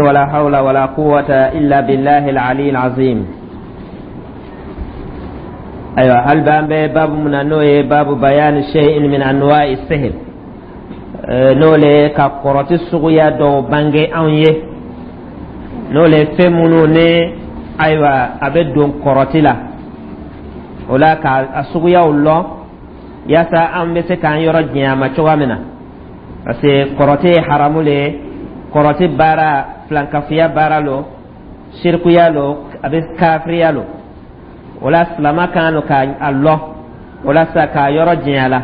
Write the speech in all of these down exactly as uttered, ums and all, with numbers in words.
ولا حول ولا قوة إلا بالله العلي العظيم. أيوة، hali b'an bɛ babu mun na, n'o ye باب بيان شيء من أنواع السحر, n'o le ka kɔrɔti suguya dɔw bange anw ye, n'o le fɛn minnu ni ayiwa a bɛ don kɔrɔti la, o la ka a suguyaw lɔn yaasa an bɛ se k'an yɔrɔ janya a ma cogoya min na, parce que kɔrɔti ye haramu le ye. Kɔrɔti baara, filankafiya baara lo, sirikuya lo, a bɛ kafiriya lo. O la silama kan lo ka a lɔn, o la sa k'a yɔrɔ janya la.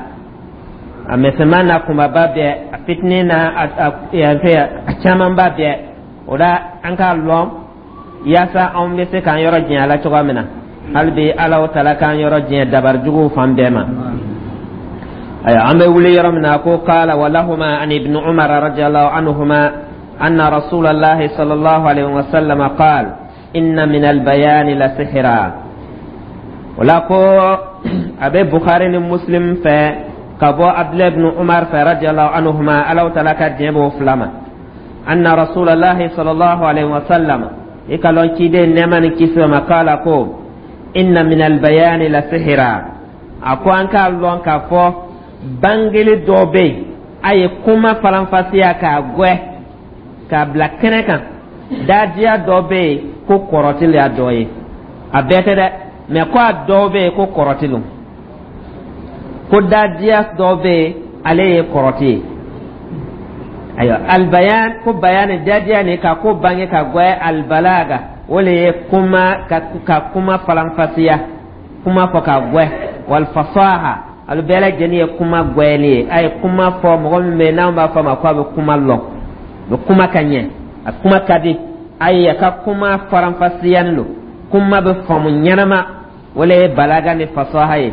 A misɛnman n'a kunbaba bɛɛ, a fitinin n'a a a camanba bɛɛ, o la an k'a lɔn yaasa anw bɛ se k'an yɔrɔ janya la cogoya min na. Hali bi Alahu Taala k'an yɔrɔ janya dabari juguw fan bɛɛ ma. Ayiwa, an bɛ wuli yɔrɔ min na ko قال ولهما عن ابن عمر رضي الله عنهما أن رسول الله صلى الله عليه وسلم قال إن من البيان لسحرا. O la ko a bɛ Bukhari ni Muslim fɛ ka bɔ Abdulayi ibn Umar fɛ رضي الله عنهما, Alahu Taala ka diɲɛ b'o fila ma, أن رسول الله صلى الله عليه وسلم, i ka lɔn ciden nɛɛma ni kisi ma, قال ko إن من البيان لسحرا. A ko an k'a lɔn k'a fɔ bangeli dɔ bɛ yen, a ye kuma faranfasiya k'a gwɛ k'a bila kɛnɛ kan, dadiya dɔ bɛ yen ko kɔrɔti y'a dɔ ye. A bɛɛ tɛ dɛ, mɛ ko a dɔw bɛ yen ko kɔrɔti lo, ko dadiya dɔ bɛ yen, ale ye kɔrɔti ye. Ayiwa, البيان, ko bayani, dadiya nin ka ko bange ka gwɛ, البلاغة, o le ye kuma ka, ka kuma faranfasiya, kuma fɔ ka gwɛ, والفصاحة, alu bɛɛ lajɛlen ye kuma gwɛli ye. A ye kuma fɔ mɔgɔ min bɛ yen n'an b'a fɔ a ma ko a bɛ kuma lɔn, a bɛ kuma ka ɲɛ, a kuma ka di a ye, a ka kuma faranfasiyani lo, kuma bɛ faamu ɲɛnama, o le ye بلاغة ni فصاحة ye.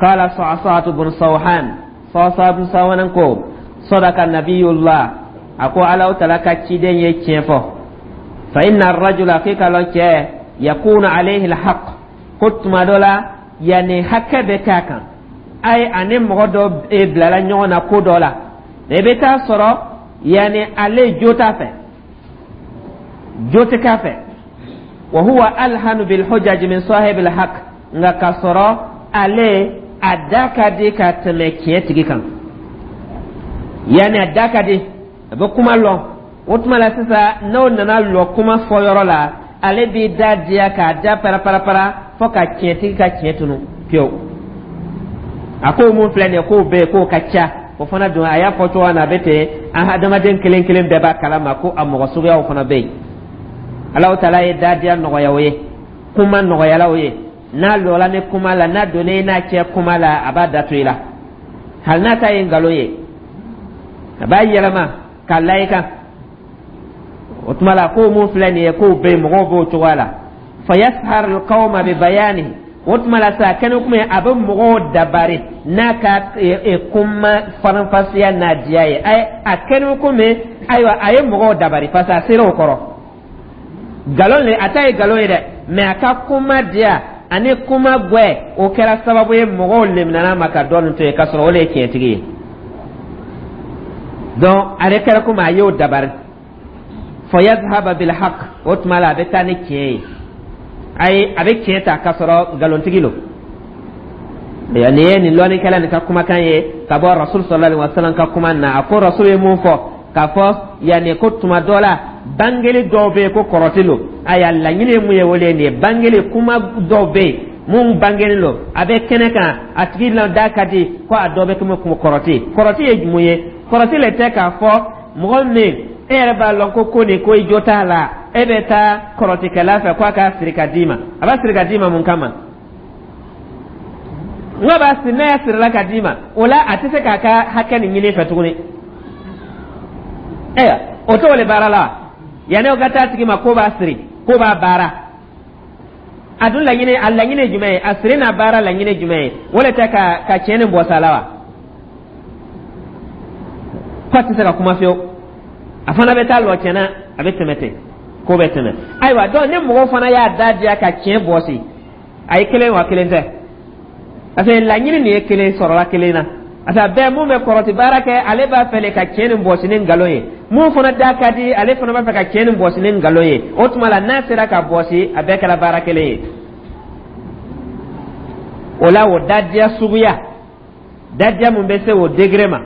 قال صعصعة بن صوحان, صعصعة بن صوحان ko صدق نبي الله, a ko Alahu Taala ka ciden ye tiɲɛ fɔ, فإن الرجل, k'i ka lɔn cɛ, يكون عليه الحق, ko tuma dɔ la yanni hakɛ bɛ k'a kan, ayi ani mɔgɔ dɔ bilala ɲɔgɔn na ko dɔ la, i bɛ taa sɔrɔ yanni ale jo t'a fɛ, jo tɛ k'a fɛ, وهو ألحن بالحجج من صاحب الحق, nka k'a sɔrɔ ale a da ka di ka tɛmɛ tiɲɛ tigi kan. Yanni a da ka di, a bɛ kuma lɔn. O tuma la sisan, n'o nana lɔ kuma fɔ yɔrɔ la, ale b'i da diya k'a da paraparapara fo ka tiɲɛtigi ka tiɲɛ tunu pewu. A ko mun filɛ nin ye, k'o bɛ yen, k'o ka ca. O fana dun, a y'a fɔ cogo min na, a bɛ ten. An hadamaden kelen kelen bɛɛ b'a kalama ko a mɔgɔ suguyaw fana bɛ yen. Alahu Taala ye dadiya nɔgɔya o ye, kuma nɔgɔyala o ye. N'a lɔla ni kuma la, n'a donna i n'a cɛ kuma la, a b'a datu i la, hali n'a ta ye nkalon ye, a b'a yɛlɛma k'a la i kan. O tuma la, ko mun filɛ nin ye, k'o bɛ yen, mɔgɔw b'o cogoya la. فيسحر القوم ببيانه, o tuma la sa kɛnɛ kuma ye, a bɛ mɔgɔw dabari n'a ka kuma faranfasiya n'a diya ye. A kɛnɛ kuma, ayiwa, a ye mɔgɔw dabari parce que a sera o kɔrɔ. Nkalon le, a ta ye nkalon ye dɛ, mɛ a ka kuma diya ani kuma gwɛ, o kɛra sababu ye mɔgɔw leminana ma ka dɔɔnin to yen, k'a sɔrɔ o le ye tiɲɛtigi ye. Donc ale kɛra komi a y'o dabari. فيذهب بالحق, o tuma la a bɛ taa ni tiɲɛ ye, ayi a bɛ tiɲɛ ta k'a sɔrɔ nkalontigi lo. Nin ye nin lɔnnikɛla nin ka kumakan ye ka bɔ Rasul صلى الله عليه وسلم ka kuma na. A ko Rasul ye mun fɔ k'a fɔ yanni ko tuma dɔ la bangeli dɔw bɛ yen ko kɔrɔti lo. Ayiwa, laɲini ye mun ye, o de ye nin ye. Bangeli kuma dɔw bɛ yen mun bangeli lo, a bɛ kɛnɛ kan, a tigi la da ka di, ko a dɔ bɛ komi kɔrɔti. Kɔrɔti ye mun ye? Kɔrɔti le tɛ k'a fɔ mɔgɔ min e yɛrɛ b'a lɔn ko ko nin ko i jo t'a la, e bɛ taa kɔrɔtikɛla fɛ k'a k'a siri ka d'i ma. A b'a siri ka d'i ma mun kama? N ko b'a siri, n'a y'a sirila ka d'i ma, o la a tɛ se k'a ka hakɛ nin ɲini fɛ tuguni. Ayiwa, o t'o le baara la. Yanni o ka taa tigi ma ko b'a siri, ko b'a baara, a dun laɲini, a laɲini ye jumɛn ye? A siri n'a baara laɲini jumɛn ye? O le tɛ ka ka tiɲɛ ni bɔsa la wa? Ko a tɛ se ka kuma fiyewu, a fana bɛ taa lɔ tiɲɛna, a bɛ tɛmɛ ten, ko bɛ tɛmɛ. Ayiwa, donc ni mɔgɔ fana y'a da diya ka tiɲɛ bɔsi, a ye kelen wa kelen tɛ, parce que laɲini nin ye kelen sɔrɔla kelen na. Parce que a bɛɛ mun bɛ kɔrɔti baara kɛ, ale b'a fɛ le ka tiɲɛ nin bɔsi ni nkalon ye. Mun fana da ka di, ale fana b'a fɛ ka tiɲɛ nin bɔsi ni nkalon ye. O tuma la, n'a sera ka bɔsi, a bɛɛ kɛra baara kelen ye. O la, o dadiya suguya, dadiya mun bɛ se o degré ma,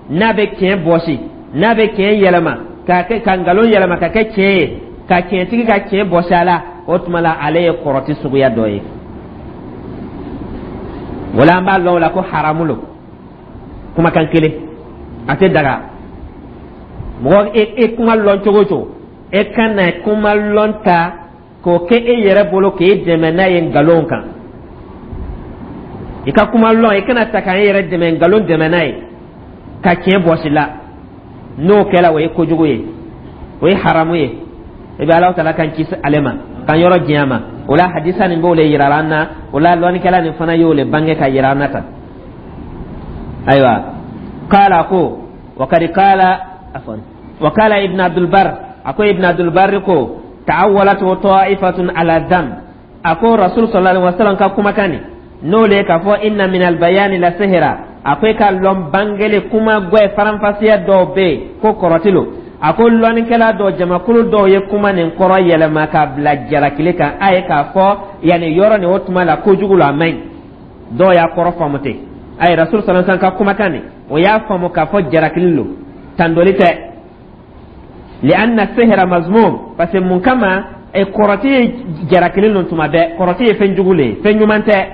n'a bɛ tiɲɛ bɔsi, n'a bɛ tiɲɛ yɛlɛma k'a kɛ, ka nkalon yɛlɛma ka kɛ tiɲɛ ye, ka tiɲɛtigi ka tiɲɛ bɔsi a la, o tuma la, ale ye kɔrɔti suguya dɔ ye. O la, an b'a lɔn o la ko haramu lo. Kumakan kelen a tɛ daga. Mɔgɔ e e kuma lɔn cogo o cogo, e kana kuma lɔn ta k'o kɛ e yɛrɛ bolo k'e dɛmɛ n'a ye nkalon kan. I ka kuma lɔn, i kana ta k'an yɛrɛ dɛmɛ, nkalon dɛmɛ n'a ye ka tiɲɛ bɔsi la. N'o kɛla, o ye kojugu ye, o ye haramu ye. I bɛ Alahu Taala kan kisi ale ma, k'an yɔrɔ diɲɛ ma. O la, hadisa nin b'o le yira an na. O la, lɔnnikɛla nin fana y'o le bange ka yira an na tan. Ayiwa, kala ko wakadi kala afwan wakala Ibn Abdulbar, a ko Ibn Abdulbar ko ta'awwalatu ta'ifatun ala dham. A ko Rasul sallallahu alaihi wasallam ka kumakan nin, n'o le k'a fɔ inna min albayani la sihira, a ko i ka lɔn bangele kuma gwɛ faranfasiya dɔw bɛ yen ko kɔrɔti lo. A ko lɔnnikɛla dɔw, jamakulu dɔw ye kuma nin kɔrɔ yɛlɛma k'a bila jalakili kan, a ye k'a fɔ yanni yɔrɔ nin, o tuma la kojugu la, a man ɲi. Dɔw y'a kɔrɔ faamu ten. A ye Rasul sallallahu alaihi wasallam ka kumakan nin, o y'a faamu k'a fɔ jalakili lo, tandoli tɛ. Li'anna sihra mazmum, parce que mun kama e kɔrɔti ye jalakili lo tuma bɛɛ? Kɔrɔti ye fɛn jugu le ye, fɛn ɲuman tɛ.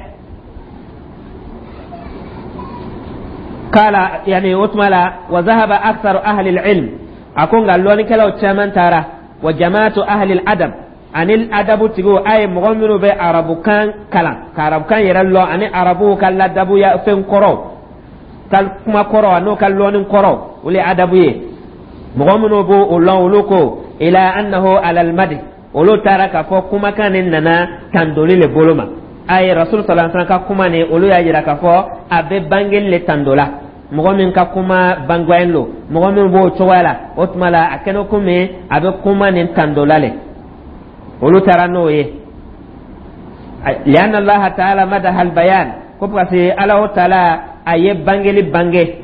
Kala yani o tuma la, wa zahaba aktharu ahli al-ilm, a ko nka lɔnnikɛlaw caman taara, wa jamaatu ahli al-adab, ani adabu tigiw, a ye mɔgɔ minnu bɛ arabukan kalan ka arabukan yɛrɛ lɔn, ani arabuw ka ladabuya fɛn kɔrɔw ka kuma kɔrɔ, n'o ka lɔnni kɔrɔ, olu ye adabu ye. Mɔgɔ minnu b'o o lɔn, olu ko ila annahu alal madi, olu taara k'a fɔ kumakan nin nana tandoli le bolo ma. A ye Rasul sallallahu alaihi wasallam ka kuma nin, olu y'a yira k'a fɔ a bɛ bangeli le tando la. Mɔgɔ min ka kuma bangɔyen lo, mɔgɔ min b'o cogoya la, o tuma la, a kɛnɛ komi a bɛ kuma nin tando la le. Olu taara n'o ye lianna Allaha taala madaha albayan, ko parce que Alahu Taala a ye bangeli bange,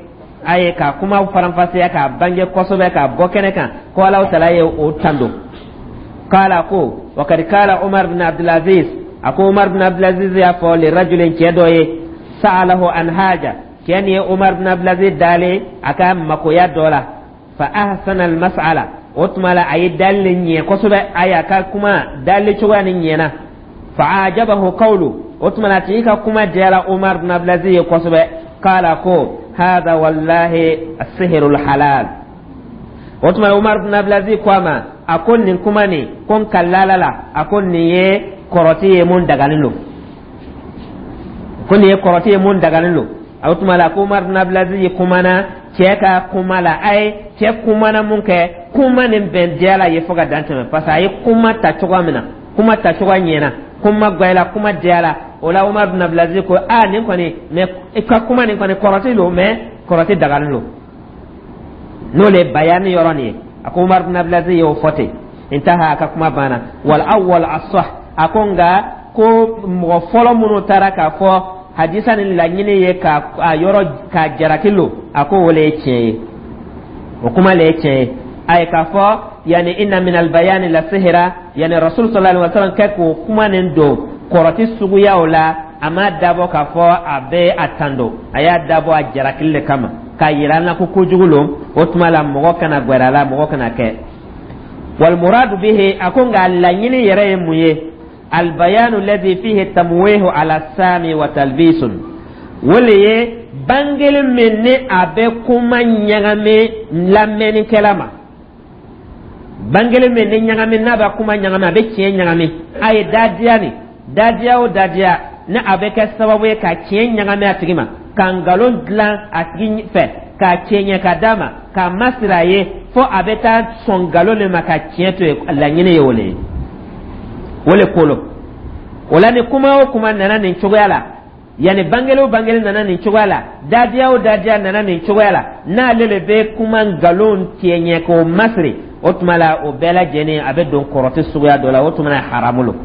a ye ka kuma faranfasiya k'a bange kosɛbɛ k'a bɔ kɛnɛ kan, ko Alahu Taala ye o tando. Kala ko wakadi kala Umar bin Abdulaziz, a ko Umar bin Abdulaziz y'a fɔ li rajulin, cɛ dɔ ye, sa'alahu an haja, cɛ nin ye Umar bin Abdulaziz dalen a ka makoya dɔ la. Fa ahsana almas'ala, o tuma la, a ye dali ɲɛ kosɛbɛ, a y'a ka kuma dali cogoya ni ɲɛna. Fa ajabahu qawlu, o tuma la, a tigi ka kuma diyara Umar bin Abdulaziz ye kosɛbɛ. Kala ko hada wallahi asihirul halal. O tuma la, Umar bin Abdulaziz ko a ma, a ko nin kuma nin ko n kalala la, a ko nin ye kɔrɔti ye mun dagalen don, ko nin ye kɔrɔti ye mun dagalen don. O tuma la, ko Umar bin Abdulaziz ye kumana cɛ ka kuma la, a ye cɛ kumana mun kɛ, kuma nin bɛn diyala ye fo ka dan tɛmɛ, parce que a ye kuma ta cogoya min na, kuma ta cogoya ɲɛna, kuma gwɛla, kuma diyala. O la, Umar bin Abdulaziz ko a nin kɔni, mais i ka kuma nin kɔni kɔrɔti don, mais kɔrɔti dagalen don. N'o le bayani yɔrɔ nin ye, a ko Umar bin Abdulaziz y'o fɔ ten. Intaha, a ka kuma banna. Wal awwal asah, a ko nka ko mɔgɔ fɔlɔ minnu taara k'a fɔ hadisa ni laɲini ye ka a yɔrɔ k'a jaraki lo, a ko o le ye tiɲɛ ye, o kuma le ye tiɲɛ ye. A ye k'a fɔ yani inna min albayani la sihira, yani Rasul sallallahu alaihi wasallam kɛ k'o kuma nin don kɔrɔti suguyaw la, a m'a dabɔ k'a fɔ a bɛ a tando, a y'a dabɔ a jarakili le kama k'a yira an na ko kojugu lo. O tuma la, mɔgɔ kana gwɛrɛ a la, mɔgɔ kana kɛ. Walmuradu bihi, a ko nka laɲini yɛrɛ ye mun ye? Albayanu alladhi fihi tamwihu ala sami wa talbisun, o le ye bangeli min ni a bɛ kuma ɲagami lamɛnnikɛla ma, bangeli min ni ɲagami, n'a bɛ kuma ɲagami, a bɛ tiɲɛ ɲagami. A ye dadiya ni dadiya o dadiya ni a bɛ kɛ sababu ye ka tiɲɛ ɲagami a tigi ma, ka nkalon dilan a tigi fɛ, k'a tiɲɛ ka d'a ma, k'a masiri a ye fo a bɛ taa sɔn nkalon de ma ka tiɲɛ to yen, laɲini ye o le ye, o le ko lo. O la, ni kuma o kuma nana nin cogoya la, yanni bangeli o bangeli nana nin cogoya la, dadiya o dadiya nana nin cogoya la, n'ale le bɛ kuma nkalon tiɲɛ k'o masiri, o tuma la, o bɛɛ lajɛlen a bɛ don kɔrɔti suguya dɔ la, o tuma la, haramu lo.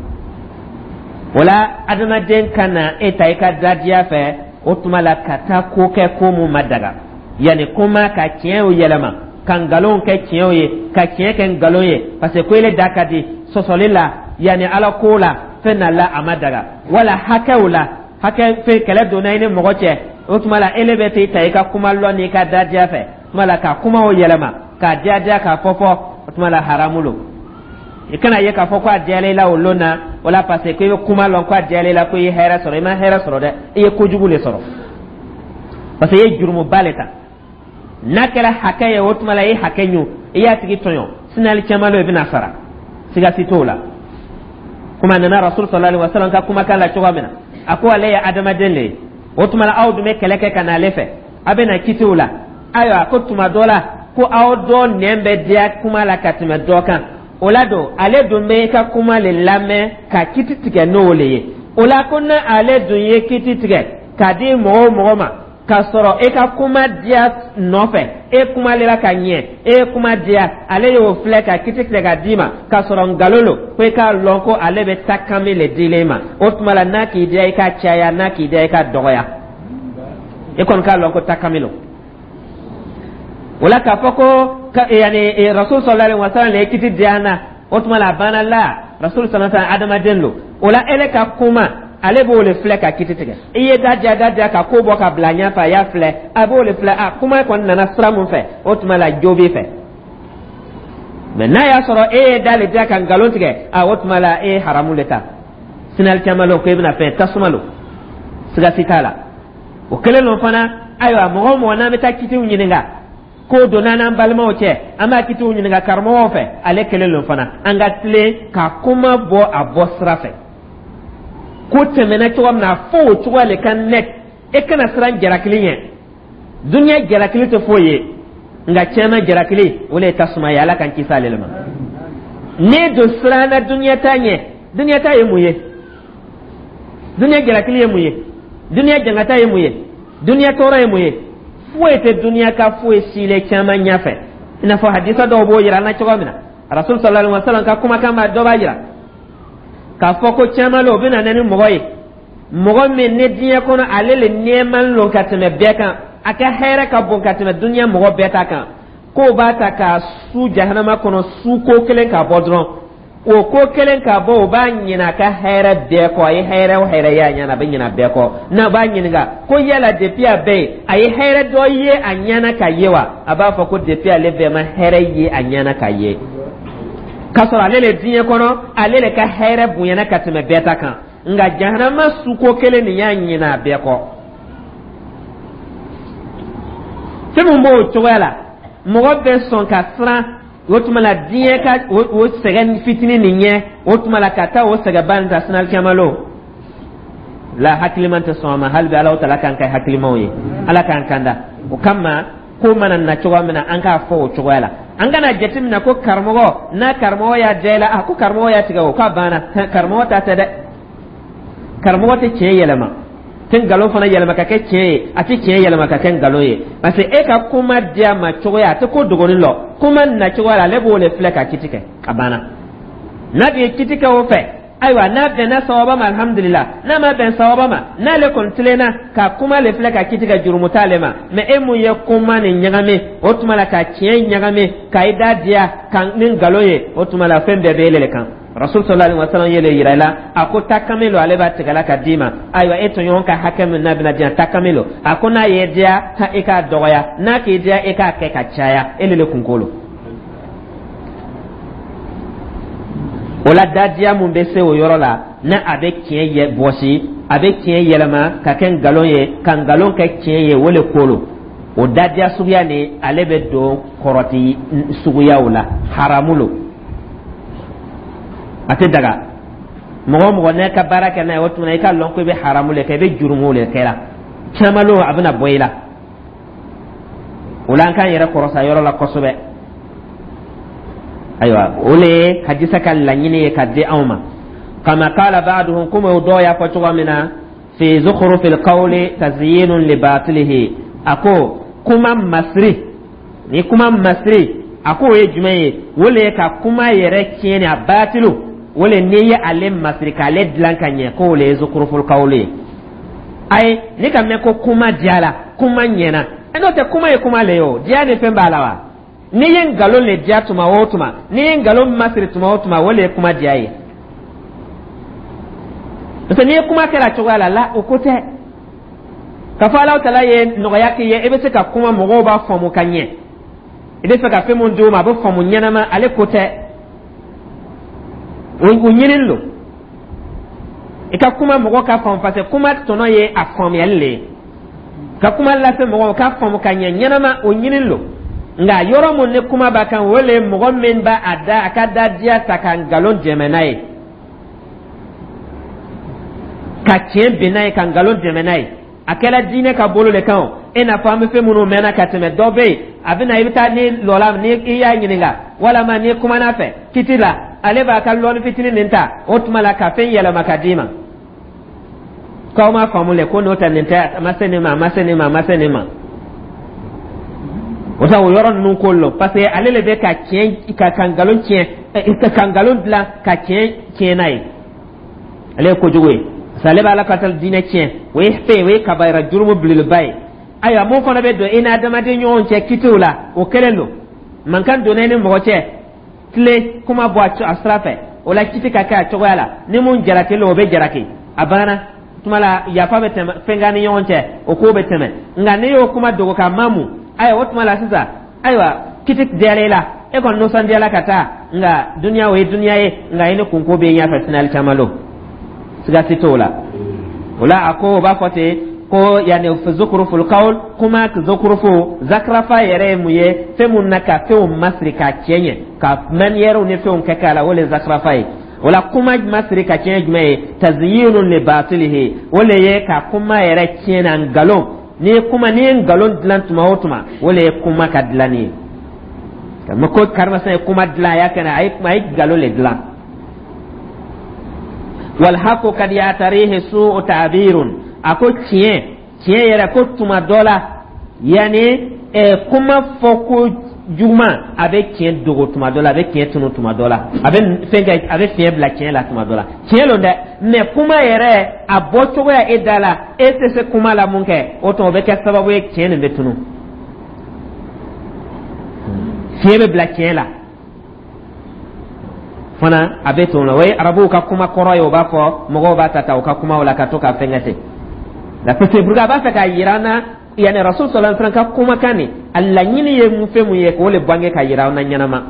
O la, adamaden ka na e ta i ka dadiya fɛ. O tuma la ka taa ko kɛ ko mun ma daga, yanni kuma ka tiɲɛw yɛlɛma ka nkalon kɛ tiɲɛw ye, ka tiɲɛ kɛ nkalon ye, parce que ko ele da ka di sɔsɔli la, yanni Ala ko la, fɛn na la a ma daga, wala hakɛw la, hakɛ fɛn kɛlɛ donna i ni mɔgɔ cɛ. O tuma la ele bɛ t'i ta i ka kuma lɔ n'i ka dadiya fɛ, o tuma la ka kumaw yɛlɛma k'a diya diya k'a fɔ fɔ, o tuma la haramu lo. I kana ye k'a fɔ ko a diyala i la o lon na o la, parce que i bɛ kuma lɔn ko a diyala i la, ko i ye hɛrɛ sɔrɔ. I ma hɛrɛ sɔrɔ dɛ, i ye kojugu le sɔrɔ, parce que i ye jurumuba le ta. N'a kɛra hakɛ ye, o tuma la i ye hakɛ ɲun, i y'a tigi tɔɲɔ, sinali caman lo i bɛna sara, siga si t'o la. Kuma nana Rasul sallallahu alaihi wasallam ka kumakan la cogo min na, a ko ale ye adamaden le ye. O tuma la aw dun bɛ kɛlɛ kɛ ka na ale fɛ, a bɛ na kitiw la. Ayiwa, ko tuma dɔ la ko aw dɔ nɛn bɛ diya kuma la ka tɛmɛ dɔ kan. O la don ale dun bɛ i ka kuma le lamɛn ka kiti tigɛ n'o le ye. O la ko na ale dun ye kiti tigɛ k'a di mɔgɔ o mɔgɔ ma k'a sɔrɔ e ka kuma diya nɔfɛ, e kumalela ka ɲɛ, e ye kuma diya, ale y'o filɛ ka kiti tigɛ ka d'i ma k'a sɔrɔ nkalon lo, ko i k'a lɔn ko ale bɛ takami le dilen ma. O tuma la n'a k'i diya i ka caya, n'a k'i diya i ka dɔgɔya, e kɔni k'a lɔn ko takami lo. O la k'a fɔ ko yanni Rasul sallallahu alaihi wasallam le ye kiti di an na, o tuma la a banna la. Rasul sallallahu alaihi wasallam adamaden lo. O la ele ka kuma, ale b'o le filɛ ka kiti tigɛ. I ye da diya da diya ka ko bɔ ka bila ɲɛfɛ, a y'a filɛ, a b'o le filɛ, a kuma kɔni nana sira mun fɛ, o tuma la jo b'i fɛ. Mɛ n'a y'a sɔrɔ e ye da le diya ka nkalon tigɛ, a o tuma la e ye haramu le ta. Sinali caman lo ko e bɛna fɛn tasuma lo, siga si t'a la. O kɛlen lo fana. Ayiwa, mɔgɔ o mɔgɔ n'an bɛ taa kitiw ɲininka, ko donna n'an balimaw cɛ, an b'a kitiw ɲininka karamɔgɔw fɛ, ale kelen lo fana. An ka tilen ka kuma bɔ a bɔ sira fɛ, ko tɛmɛna cogo min na, a fɔ o cogoya le ka net. E kana siran jalakili ɲɛ. Duniya jalakili tɛ foyi ye, nka tiɲɛna jalakili o le ye tasuma ye. Ala k'an kisi ale ma. N'e don siranna duniya ta ɲɛ, duniya ta ye mun ye? Duniya jalakili ye mun ye? Duniya jangata ye mun ye? Duniya tɔɔrɔ ye mun ye? Foyi tɛ duniya ka foyi sile caman ɲɛfɛ, i n'a fɔ hadisa dɔw b'o yira an na cogo min na. Rasul sallallahu alaihi wasallam ka kumakan b'a dɔ b'a yira k'a fɔ ko caman la o bɛ na ni mɔgɔ ye, mɔgɔ min ni diɲɛ kɔnɔ ale le nɛɛman lon ka tɛmɛ bɛɛ kan, a ka hɛrɛ ka bon ka tɛmɛ duniya mɔgɔ bɛɛ ta kan, k'o b'a ta k'a su jahanama kɔnɔ su ko kelen k'a bɔ dɔrɔn, o ko kelen k'a bɔ, o b'a ɲinɛ a ka hɛrɛ bɛɛ kɔ. A ye hɛrɛ o hɛrɛ ye a ɲɛna, a bɛ ɲinɛ a bɛɛ kɔ. N'a b'a ɲininka ko yala depuis a bɛ yen, a ye hɛrɛ dɔ ye a ɲɛna ka ye wa? A b'a fɔ ko depuis ale bɛɛ ma hɛrɛ ye a ɲɛna ka ye, k'a sɔrɔ ale le diɲɛ kɔnɔ ale le ka hɛrɛ bonyana ka tɛmɛ bɛɛ ta kan, nka jahanama suko kelen nin y'a ɲinɛ a bɛɛ kɔ. Fɛn min b'o cogoya la, mɔgɔ bɛ sɔn ka siran o tuma la diɲɛ ka o sɛgɛn fitinin nin ɲɛ, o tuma la ka taa o sɛgɛnba nin ta sinalikɛma lo la, hakiliman tɛ sɔn a ma. Hali bi Alahu taala k'an kɛ hakilimaw ye, Ala k'an kanda. O kama ko mana na cogoya min na, an k'a fɔ o cogoya la. An kana jateminɛ ko karamɔgɔ n'a karamɔgɔ y'a diya i la, a ko karamɔgɔ y'a tigɛ o k'a banna. Karamɔgɔ ta tɛ dɛ. Karamɔgɔ tɛ tiɲɛ yɛlɛma, tɛ nkalon fana yɛlɛma ka kɛ tiɲɛ ye, a tɛ tiɲɛ yɛlɛma ka kɛ nkalon ye, parce que e ka kuma diya ma cogoya a tɛ ko dogonin lɔ. Kuma na cogoya la, ale b'o le filɛ ka kiti kɛ, a banna. N'a dun ye kiti kɛ o fɛ, ayiwa, n'a bɛnna sawaba ma, alhamdulillah. N'a ma bɛn sawaba ma, n'ale kɔni tilenna ka kuma le filɛ ka kiti kɛ, jurumu t'ale ma. Mɛ e mun ye kuma nin ɲagami, o tuma la ka tiɲɛ ɲagami ka i da diya ka ni nkalon ye, o tuma la fɛn bɛɛ bɛ e le kan. Rasul sallallahu alaihi wasallam ye le yira i la, a ko takami lo ale b'a tigɛla ka d'i ma. Ayiwa, e tɔɲɔgɔn ka hakɛ min n'a bɛna diyan, takami lo. A ko n'a ye diya i k'a dɔgɔya, n'a k'i diya i k'a kɛ ka caya, e le le kunko lo. O la dadiya mun bɛ se o yɔrɔ la, n'a a bɛ tiɲɛ yɛ bɔsi, a bɛ tiɲɛ yɛlɛma ka kɛ nkalon ye, ka nkalon kɛ tiɲɛ ye, o le ko lo. O dadiya suguya ni ale bɛ don kɔrɔti suguyaw la, haramu lo, a tɛ daga. Mɔgɔ o mɔgɔ n'a ka baara kɛ n'a ye, o tuma i ka lɔn ko i bɛ haramu le kɛ, i bɛ jurumu le kɛ la. Caman lo a bɛna bɔ i la. O la an k'an yɛrɛ kɔrɔsa yɔrɔ la kosɛbɛ. Ayiwa, o le ye hadisa ka laɲini ye ka di anw ma. Kama qala ba'duhum, komi o dɔw y'a fɔ cogo min na, fi zukhrufil qawli tazyinun li batilihi. A ko kuma masiri ni kuma masiri, a ko o ye jumɛn ye? O le ye ka kuma yɛrɛ tiɲɛ ni a batilu, o le n'i ye ale masiri k'ale dilan ka ɲɛ, k'o le ye zukhruful qawli ye. Ayi, ne ka mɛn ko kuma diyara, kuma ɲɛna, n'o tɛ kuma ye kuma le ye. O diya ni fɛn b'a la wa? N'i ye nkalon le diya tuma o tuma, n'i ye nkalon masiri tuma o tuma, o le ye kuma diya ye. Parce que n'i ye kuma kɛra cogoya la la, o ko tɛ k'a fɔ Alahu Taala ye nɔgɔya k'i ye, i bɛ se ka kuma, mɔgɔw b'a faamu ka ɲɛ, i bɛ fɛ ka fɛn mun d'u ma, a bɛ faamu ɲɛnama. Ale ko tɛ, o ɲinini don i ka kuma mɔgɔ ka faamu, parce que kuma tɔnɔ ye a faamuyali le ye. Ka kuma lase mɔgɔw ka faamu ka ɲɛ ɲɛnama, o ɲinini don. Nka yɔrɔ mun ni kuma b'a kan, o le ye mɔgɔ min b'a a da a ka da diya ta ka nkalon dɛmɛ n'a ye, ka tiɲɛ bin n'a ye, ka nkalon dɛmɛ n'a ye. A kɛra diinɛ ka bolo le kan o, i n'a fɔ an bɛ fɛn minnu mɛnna ka tɛmɛ. Dɔ bɛ yen, a bɛ na, i bɛ taa ni lɔla, ni i y'a ɲininka walama n'i kumana fɛ kiti la, ale b'a ka lɔnni fitinin nin ta o tuma la ka fɛn yɛlɛma ka d'i ma k'aw ma faamu le ko n'o tɛ, nin tɛ, a ma se nin ma, a ma se nin ma, a ma se nin ma. O ta o yɔrɔ ninnu ko lɔ, parce que ale le bɛ ka tiɲɛ ka ka nkalon tiɲɛ, ka nkalon dilan ka tiɲɛ tiɲɛ n'a ye. Ale ye kojugu ye, parce que ale b'a la ka taa diinɛ tiɲɛ. O ye fɛn, o ye kabayira jurumu belebeleba ye. Ayiwa, mun fana bɛ don i ni adamaden ɲɔgɔn cɛ kitiw la, o kelen don. Mankan donna i ni mɔgɔ cɛ, tile kuma bɔ a sira fɛ, o la kiti ka kɛ a cogoya la. Ni mun jarakilen, o bɛ jaraki, a banna tuma la, yafa bɛ tɛmɛ fɛn ni ɲɔgɔn cɛ, o ko bɛ tɛmɛ. Nka n'i y'o kuma dogo ka mamu, ayiwa, o tuma la sisan, ayiwa, kiti diyara i la, e kɔni nisɔndiyala ka taa. Nka duniya, o ye duniya ye, nka i ni kunko bɛ ɲɛfɛ sinali caman don, siga si t'o la. O la a ko o b'a fɔ ten ko yani zukuruful kawl, kuma zukurufu, zakrafa yɛrɛ ye mun ye? Fɛn mun na ka fɛnw masiri k'a cɛ ɲɛ, ka manière ni fɛnw kɛ k'a la, o le zakrafa ye. O la kuma masiri ka tiɲɛ jumɛn ye? Tazyinun li batilihi, o le ye ka kuma yɛrɛ tiɲɛ na nkalon. N'i ye kuma, n'i ye nkalon dilan tuma o tuma, o le ye kuma ka dilanni ye. Ko karimasina ye kuma dilan, a y'a kɛ a ye kuma, a ye nkalon le dilan. Walhaku kad yatarihi su'u ta'birun, a ko tiɲɛ tiɲɛ yɛrɛ ko tuma dɔ la, yanni kuma fɔ ko juguman, a bɛ tiɲɛ dogo tuma dɔ la, a bɛ tiɲɛ tunu tuma dɔ la, a bɛ fɛn kɛ, a bɛ fiɲɛ bila tiɲɛ la tuma dɔ la. Tiɲɛ don dɛ, mɛ kuma yɛrɛ a bɔ cogoya e da la, e tɛ se kuma la mun kɛ, o tuma o bɛ kɛ sababu ye tiɲɛ nin bɛ tunu, fiɲɛ bɛ bila tiɲɛ la fana, a bɛ tunu. O ye arabuw ka kuma kɔrɔ ye. O b'a fɔ mɔgɔw b'a ta ta u ka kumaw la ka to ka fɛn kɛ ten la, parce que a b'a fɛ k'a yira an na, yani Rasul sallallahu alaihi wasallam ka kumakan nin, a laɲini ye mun fɛn mun ye, k'o le bange ka yira an na ɲɛnama.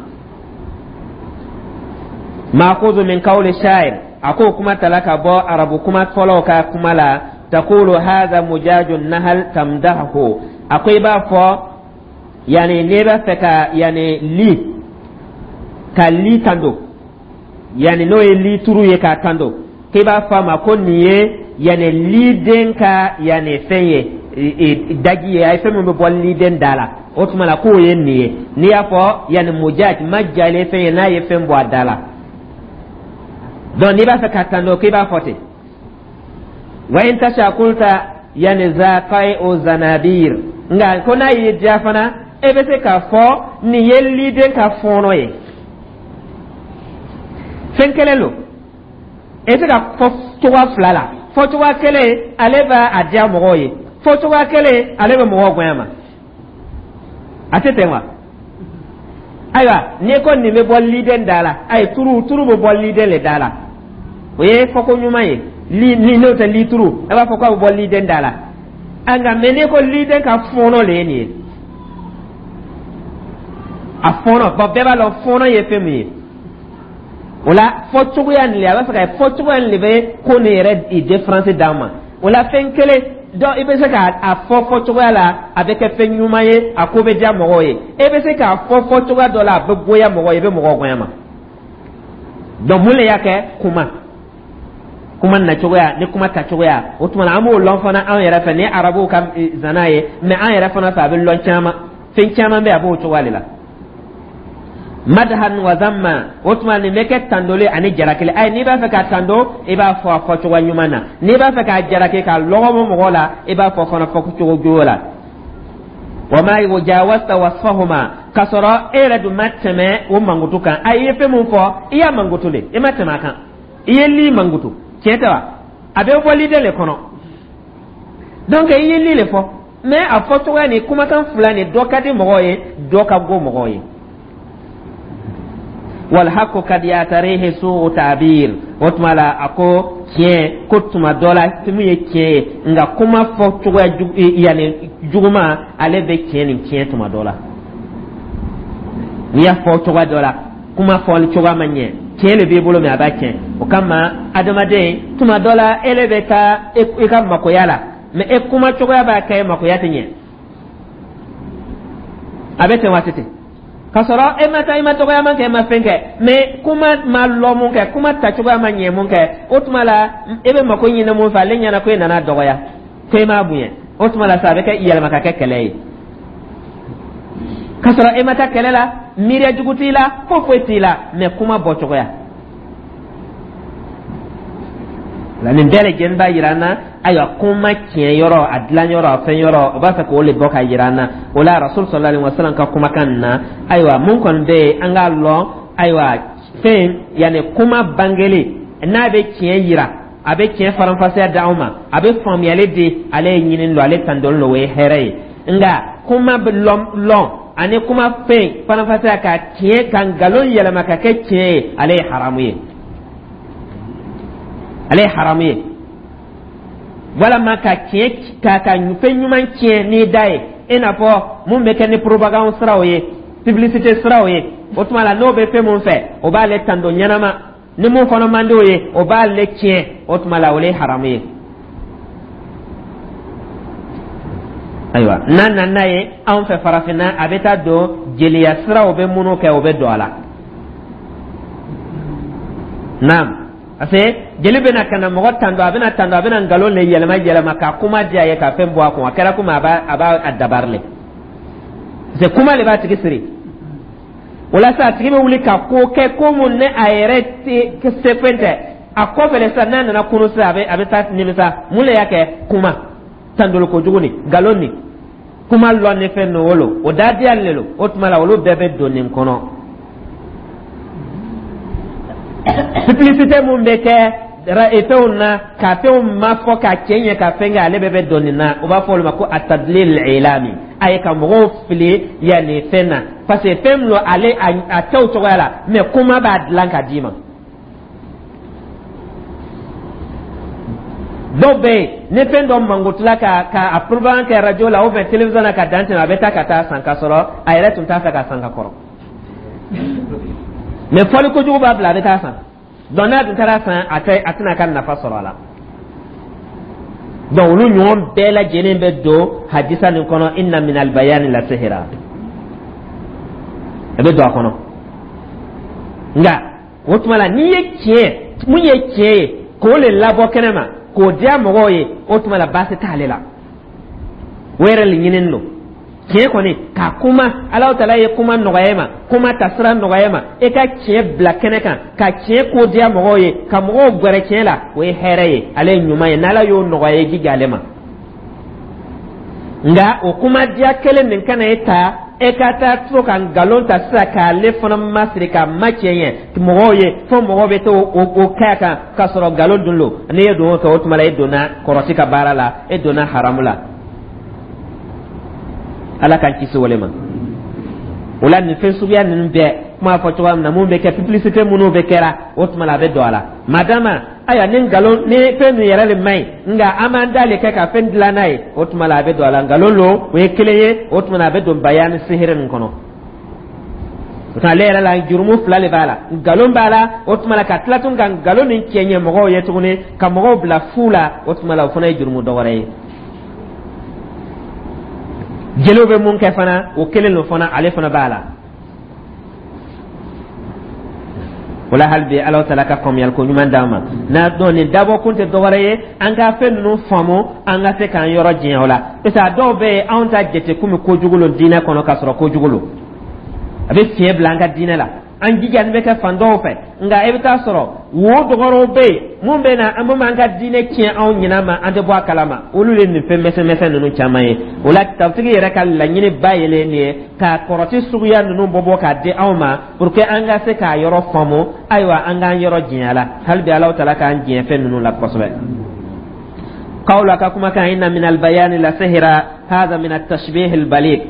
Maakuzu min qawli sha'ir, a ko kuma tala ka bɔ arabu kuma fɔlɔw ka kuma la. Taqulu hadha mujaju nahal tamdahu, a ko i b'a fɔ yani n'i b'a fɛ ka yani li ka li tando, yani n'o ye li turu ye k'a tando, k'i b'a fɔ a ma ko nin ye yani liden ka yani fɛn ye, daji ye, a ye fɛn min bɛ bɔ liden da la, o tuma la k'o ye nin ye. N'i y'a fɔ yani mujaj ma jalen fɛn ye, n'a ye fɛn bɔ a da la, donc n'i b'a fɛ ka tando, k'i b'a fɔ ten. Wa in tasha kulta yani zaqai o zanabir, nka ko n'a y'i diya fana, e bɛ se k'a fɔ nin ye liden ka fɔɔnɔ ye. Fɛn kelen don, e bɛ se ka fɔ cogoya fila la. Fɔ cogoya kelen, ale b'a a diya mɔgɔw ye. Fɔ cogoya kelen, ale bɛ mɔgɔw gonya ma. A tɛ ten wa? Ayiwa, n'i ko nin bɛ bɔ liden da la, ayi, turu turu bɛ bɔ liden le da la, o ye fɔko ɲuman ye. Li ni n'o tɛ li turu, a b'a fɔ k'a bɛ bɔ liden da la. Nka mɛ n'i ko liden ka fɔɔnɔ le ye nin ye, a fɔɔnɔ bɔn, bɛɛ b'a lɔn fɔɔnɔ ye fɛn min ye. O la fɔcogoya nin le, a b'a fɛ ka fɔcogoya nin le bɛ ko nin yɛrɛ différence d'an ma. O la fɛn kelen dɔn, i bɛ se k'a fɔ fɔcogoya la, a bɛ kɛ fɛn ɲuman ye, a ko bɛ diya mɔgɔw ye. E bɛ se k'a fɔ fɔcogoya dɔ la, a bɛ goya mɔgɔw ye, i bɛ mɔgɔw gonya ma. Donc mun le y'a kɛ? Kuma kuma nacogoya ni kuma tacogoya. O tuma na an b'o lɔn fana anw yɛrɛ fɛ, ni arabuw ka zana ye, mɛ an yɛrɛ fana fɛ, a bɛ lɔn caman, fɛn caman bɛ, a b'o cogoya de la. Madhan wa zamma, o tuma nin bɛ kɛ tandoli ani jarakili. Ayi, n'i b'a fɛ ka tando, i b'a fɔ a fɔcogo ɲuman na. N'i b'a fɛ k'a jaraki, k'a lɔgɔbɔ mɔgɔ la, i b'a fɔ fana fɔcogo jugu la. Wa ma jawazta wasfahuma, k'a sɔrɔ e yɛrɛ dun ma tɛmɛ o mankutu kan. Ayi, i ye fɛn mun fɔ, i y'a mankutu de, i ma tɛmɛ a kan. I ye li mankutu, tiɲɛ tɛ wa? A bɛ bɔ liden le kɔnɔ. Donc i ye li le fɔ, mais a fɔ cogoya ni kumakan fila ni, dɔ ka di mɔgɔw ye, dɔ ka go mɔgɔw ye. Walhaku kad yatarihi suu ta'bir. O tuma la, a ko tiɲɛ ko tuma dɔ la mun ye tiɲɛ ye, nka kuma fɔ cogoya yanni juguman, ale bɛ tiɲɛ nin tiɲɛ tuma dɔ la. N'i y'a fɔ cogoya dɔ la, kuma fɔli cogoya ma ɲɛ, tiɲɛ de b'i bolo, mais a b'a tiɲɛ. O kama, adamaden, tuma dɔ la e le bɛ taa i ka makoya la, mais e kuma cogoya b'a kɛ makoya tɛ ɲɛ. A bɛ ten waati ten, k'a sɔrɔ e ma taa, i ma dɔgɔyama kɛ, e ma fɛn kɛ, mais kuma ma lɔ mun kɛ, kuma tacogoya ma ɲɛ mun kɛ, o tuma la e bɛ mako ɲini mun fɛ, ale ɲɛna ko e nana dɔgɔya, ko e m'a bonya. O tuma la sa, a bɛ kɛ yɛlɛma ka kɛ kɛlɛ ye, k'a sɔrɔ e ma taa kɛlɛ la, miiriya jugu t'i la, foyi foyi t'i la, mais kuma bɔ cogoya la. Nin bɛɛ lajɛlen b'a yira an na, ayiwa, kuma tiɲɛ yɔrɔ, a dilan yɔrɔ, a fɛn yɔrɔ, o b'a fɛ k'o le bɔ ka yira an na. O la, Rasul sallallahu alaihi wasallam ka kumakan na, ayiwa, mun kɔni bɛ yen, an k'a lɔn, ayiwa, fɛn yanni kuma bangeli n'a bɛ tiɲɛ yira, a bɛ tiɲɛ faranfasiya di anw ma, a bɛ faamuyali di, ale ye ɲini don, ale tandoli don, o ye hɛrɛ ye. Nka kuma bɛ lɔn lɔn ani kuma fɛn faranfasiya ka tiɲɛ ka nkalon yɛlɛma ka kɛ tiɲɛ ye, ale ye haramu ye, ale ye haramu ye. Walama ka tiɲɛ ka ka fɛn ɲuman tiɲɛ n'i da ye, i n'a fɔ mun bɛ kɛ ni propagande siraw ye, publicité siraw ye. O tuma la, n'o bɛ fɛn mun fɛ, o b'ale tando ɲɛnama, ni mun fana man di o ye, o b'ale tiɲɛ. O tuma la, o le ye haramu ye. Ayiwa, n'a nana n'a ye anw fɛ farafinna, a bɛ taa don jeliya siraw bɛ minnu kɛ, o bɛ don a la. Naam, parce que jeli bɛna ka na mɔgɔ tando, a bɛna tando, a bɛna nkalon le yɛlɛma yɛlɛma ka kuma diya ye, ka fɛn bɔ a kun. A kɛra komi a b'a a b'a a dabari le, parce que kuma le b'a tigi siri. O la sa, a tigi bɛ wuli ka ko kɛ, ko mun ne a yɛrɛ tɛ se fɛn tɛ a kɔfɛ le sisan. N'a nana kunu sisan, a bɛ a bɛ taa nimisa. Mun le y'a kɛ? Kuma tandoli kojugu ni nkalon ni kuma lɔn ni fɛn ninnu wolo, o da diya le lo. O tuma la, olu bɛɛ bɛ don nin kɔnɔ. Publicité mun bɛ kɛ fɛnw na, ka fɛnw ma fɔ ka cɛ ɲɛ, ka fɛn kɛ, ale bɛɛ bɛ don nin na. U b'a fɔ olu ma ko atadlil ilami, a ye ka mɔgɔw fili yanni fɛn na, parce que fɛn min don, ale a tɛ o cogoya la, mais kuma b'a dilan ka d'i ma. Dɔw bɛ yen, ni fɛn dɔ mankutula ka ka a propagande kɛ radio la ou bien télévision na ka dan tɛmɛ, a bɛ taa ka taa san, ka sɔrɔ a yɛrɛ tun t'a fɛ ka san ka kɔrɔ, mais fɔli kojugu b'a bila a bɛ taa san. Donc n'a dun taara san, a tɛ a tɛna ka nafa sɔrɔ a la. Donc olu ɲɔgɔn bɛɛ lajɛlen bɛ don hadisa nin kɔnɔ, inna min albayani la sihira, a bɛ don a kɔnɔ. Nka o tuma la, n'i ye tiɲɛ mun ye tiɲɛ ye, k'o le labɔ kɛnɛ ma, k'o diya mɔgɔw ye, o tuma la baasi t'ale la, o yɛrɛ le ɲinini don. Tiɲɛ kɔni ka kuma, Alahu Taala ye kuma nɔgɔya ma, kuma ta sira nɔgɔya ma, e ka tiɲɛ bila kɛnɛ kan, ka tiɲɛ ko diya mɔgɔw ye, ka mɔgɔw gɛrɛ tiɲɛ la, o ye hɛrɛ ye, ale ye ɲuman ye. N'Ala y'o nɔgɔya, ye jija ale ma. Nka o kuma diya kelen nin kana e ta, e ka taa to ka nkalon ta sisan k'ale fana masiri k'a ma tiɲɛ ɲɛ mɔgɔw ye, fo mɔgɔw bɛ to o o kɛ a kan k'a sɔrɔ nkalon dun lo. N'i ye don o kɛ, o tuma la e donna kɔrɔti ka baara la, e donna haramu la. Ala k'an kisi o le ma. O la, nin fɛn suguya ninnu bɛɛ, kuma fɔ cogoya min na, mun bɛ kɛ, publicité minnu bɛ kɛra, o tuma la a bɛ don a la. Madama, ayiwa, ni nkalon ni fɛn min yɛrɛ de man ɲi, nka an b'an da le kɛ ka fɛn dilan n'a ye, o tuma la a bɛ don a la. Nkalon lo, o ye kelen ye. O tuma la a bɛ don bayani sihiri nin kɔnɔ. O tuma ale yɛrɛ la, jurumu fila de b'a la: nkalon b'a la, o tuma la ka tila tun ka nkalon nin cɛ ɲɛ mɔgɔw ye tuguni, ka mɔgɔw bila fu la, o tuma la o fana ye jurumu dɔ wɛrɛ ye. Jeliw bɛ mun kɛ fana, o kelen don fana, ale fana b'a la. O la, hali bi Ala taala ka faamuyali ko ɲuman d'an ma. N'a dɔn nin dabɔ kun tɛ dɔwɛrɛ ye, an ka fɛn ninnu faamu, an ka se k'an yɔrɔ janya o la, parce que a dɔw bɛ yen, anw ta jate komi kojugu lo diinɛ kɔnɔ, k'a sɔrɔ kojugu lo, a bɛ fiɲɛ bila an ka diinɛ la. An jijani bɛ kɛ fan dɔw fɛ, nka i bɛ taa sɔrɔ wo dɔgɔrɔw bɛ yen mun bɛ na, an bɛ an ka diinɛ tiɲɛ anw ɲinɛ ma, an tɛ bɔ a kalama. Olu de nin fɛn misɛn misɛn ninnu caman ye. O la, tafsiri yɛrɛ ka laɲini ba yɛlɛ nin ye, ka kɔrɔti suguya ninnu bɔ bɔ k'a di anw ma pour que an ka se k'a yɔrɔ faamu. Ayiwa, an k'an yɔrɔ janya la hali bi. Alahu Taala k'an jɛn fɛn ninnu la kosɛbɛ. Qawla ka kuma kan inna min albayani la sihra hadha min at-tashbih al-baligh.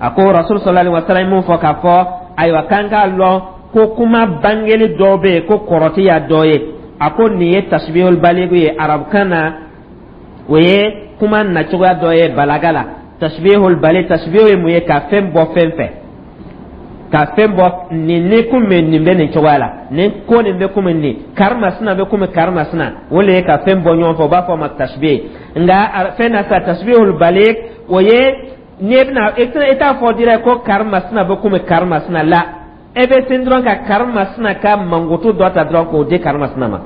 A ko Rasul sallallahu alaihi wasallam mun fɔ k'a fɔ, ayiwa, k'an k'a lɔn ko kuma bangeli dɔ bɛ yen ko kɔrɔti y'a dɔ ye. A ko nin ye tashbihul baligh ye arabukan na, o ye kuma nacogoya dɔ ye balaga la. Tashbihul baligh, tashbih ye mun ye? Ka fɛn bɔ fɛn fɛ, ka fɛn bɔ nin ni komi nin bɛ nin cogoya la, nin ko nin bɛ komi nin karimasina bɛ komi karimasina, o le ye ka fɛn bɔ ɲɔgɔn fɛ, o b'a fɔ o ma tashbih. Nka fɛn na sa, tashbihul baligh, o ye n'i bɛna i t'a fɔ direct ko karimasina bɛ komi karimasina la, e bɛ sen dɔrɔn ka karimasina ka mankutu dɔ ta dɔrɔn k'o di karimasina ma.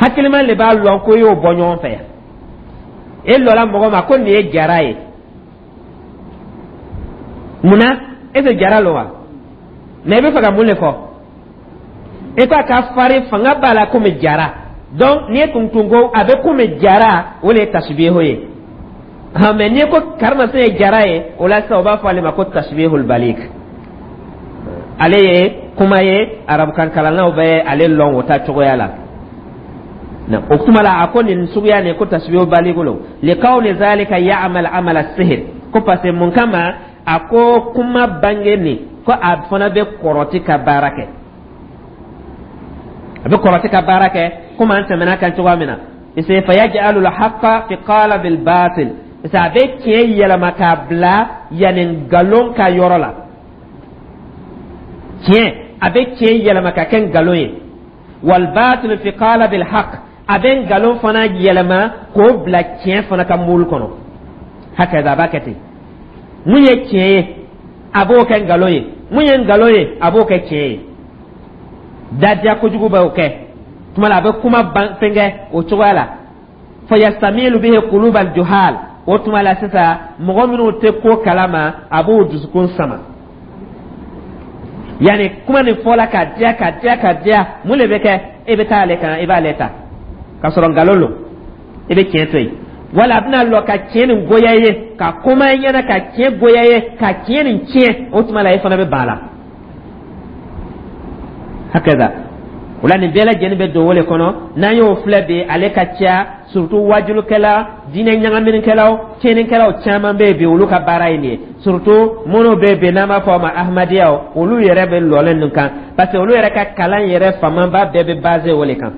Hakilima de b'a lɔn ko i y'o bɔ ɲɔgɔn fɛ yan. E lɔla mɔgɔ ma ko nin ye jara ye, munna e tɛ jara lɔn wa? Mɛ i bɛ fɛ ka mun de fɔ? E ko a ka fari fanga b'a la komi jara. Donc n'i ye tuntun ko a bɛ komi jara, o de ye tasibiho ye. Hɔn, mɛ n'i ko karimasina ye jara ye, o la sisan o b'a fɔ ale ma ko tasibihul baligh. Ale ye kuma ye, arabukan kalannaw bɛ ale lɔn o ta cogoya la. O kuma la, a ko nin suguya nin ko tasbihul baligh lo likawni zalika ya'mal amala sihir. Ko parce que mun kama a ko kuma bange nin ko a fana bɛ kɔrɔti ka baara kɛ, a bɛ kɔrɔti ka baara kɛ, komi an tɛmɛna kan cogoya min na. Parce que fayaj'alu al-haqqa fi qalabil batil, parce que a bɛ tiɲɛ yɛlɛma k'a bila yanni nkalon ka yɔrɔ la. Tiɲɛ, a bɛ tiɲɛ yɛlɛma ka kɛ nkalon ye. Wal batil fi qalabil haqq, a bɛ nkalon fana yɛlɛma k'o bila tiɲɛ fana ka moule kɔnɔ. Hakaza, a b'a kɛ ten. Mun ye tiɲɛ ye, a b'o kɛ nkalon ye. Mun ye nkalon ye, a b'o kɛ tiɲɛ ye. Dadiya kojugu b'o kɛ tuma la, a bɛ kuma ban fɛnkɛ o cogoya la. Fayastamilu bihi qulubal juhal, o tuma la sisan mɔgɔ minnu tɛ ko kalama, a b'o dusukun sama. Yanni kuma nin fɔla ka diya ka diya ka diya, mun de bɛ kɛ? E bɛ taa ale kan, i b'ale ta k'a sɔrɔ nkalon lo, i bɛ tiɲɛ to yen. Wala a bɛna lɔ ka tiɲɛ nin goya ye, ka kuma i ɲɛna ka tiɲɛ goya ye, ka tiɲɛ nin tiɲɛ, o tuma la e fana bɛ ban a la. Hakaza, o la nin bɛɛ lajɛlen bɛ don o le kɔnɔ. N'an y'o filɛ bi, ale ka ca, surtout wajulukɛla, diinɛ ɲagaminikɛlaw, tiɲɛnikɛlaw caman bɛ yen bi, olu ka baara ye nin ye. Surtout minnu bɛ yen bi n'an b'a fɔ o ma ahmadiyaw, olu yɛrɛ bɛ lɔlen nin kan, parce que olu yɛrɛ ka kalan yɛrɛ fanba bɛɛ bɛ basé o le kan.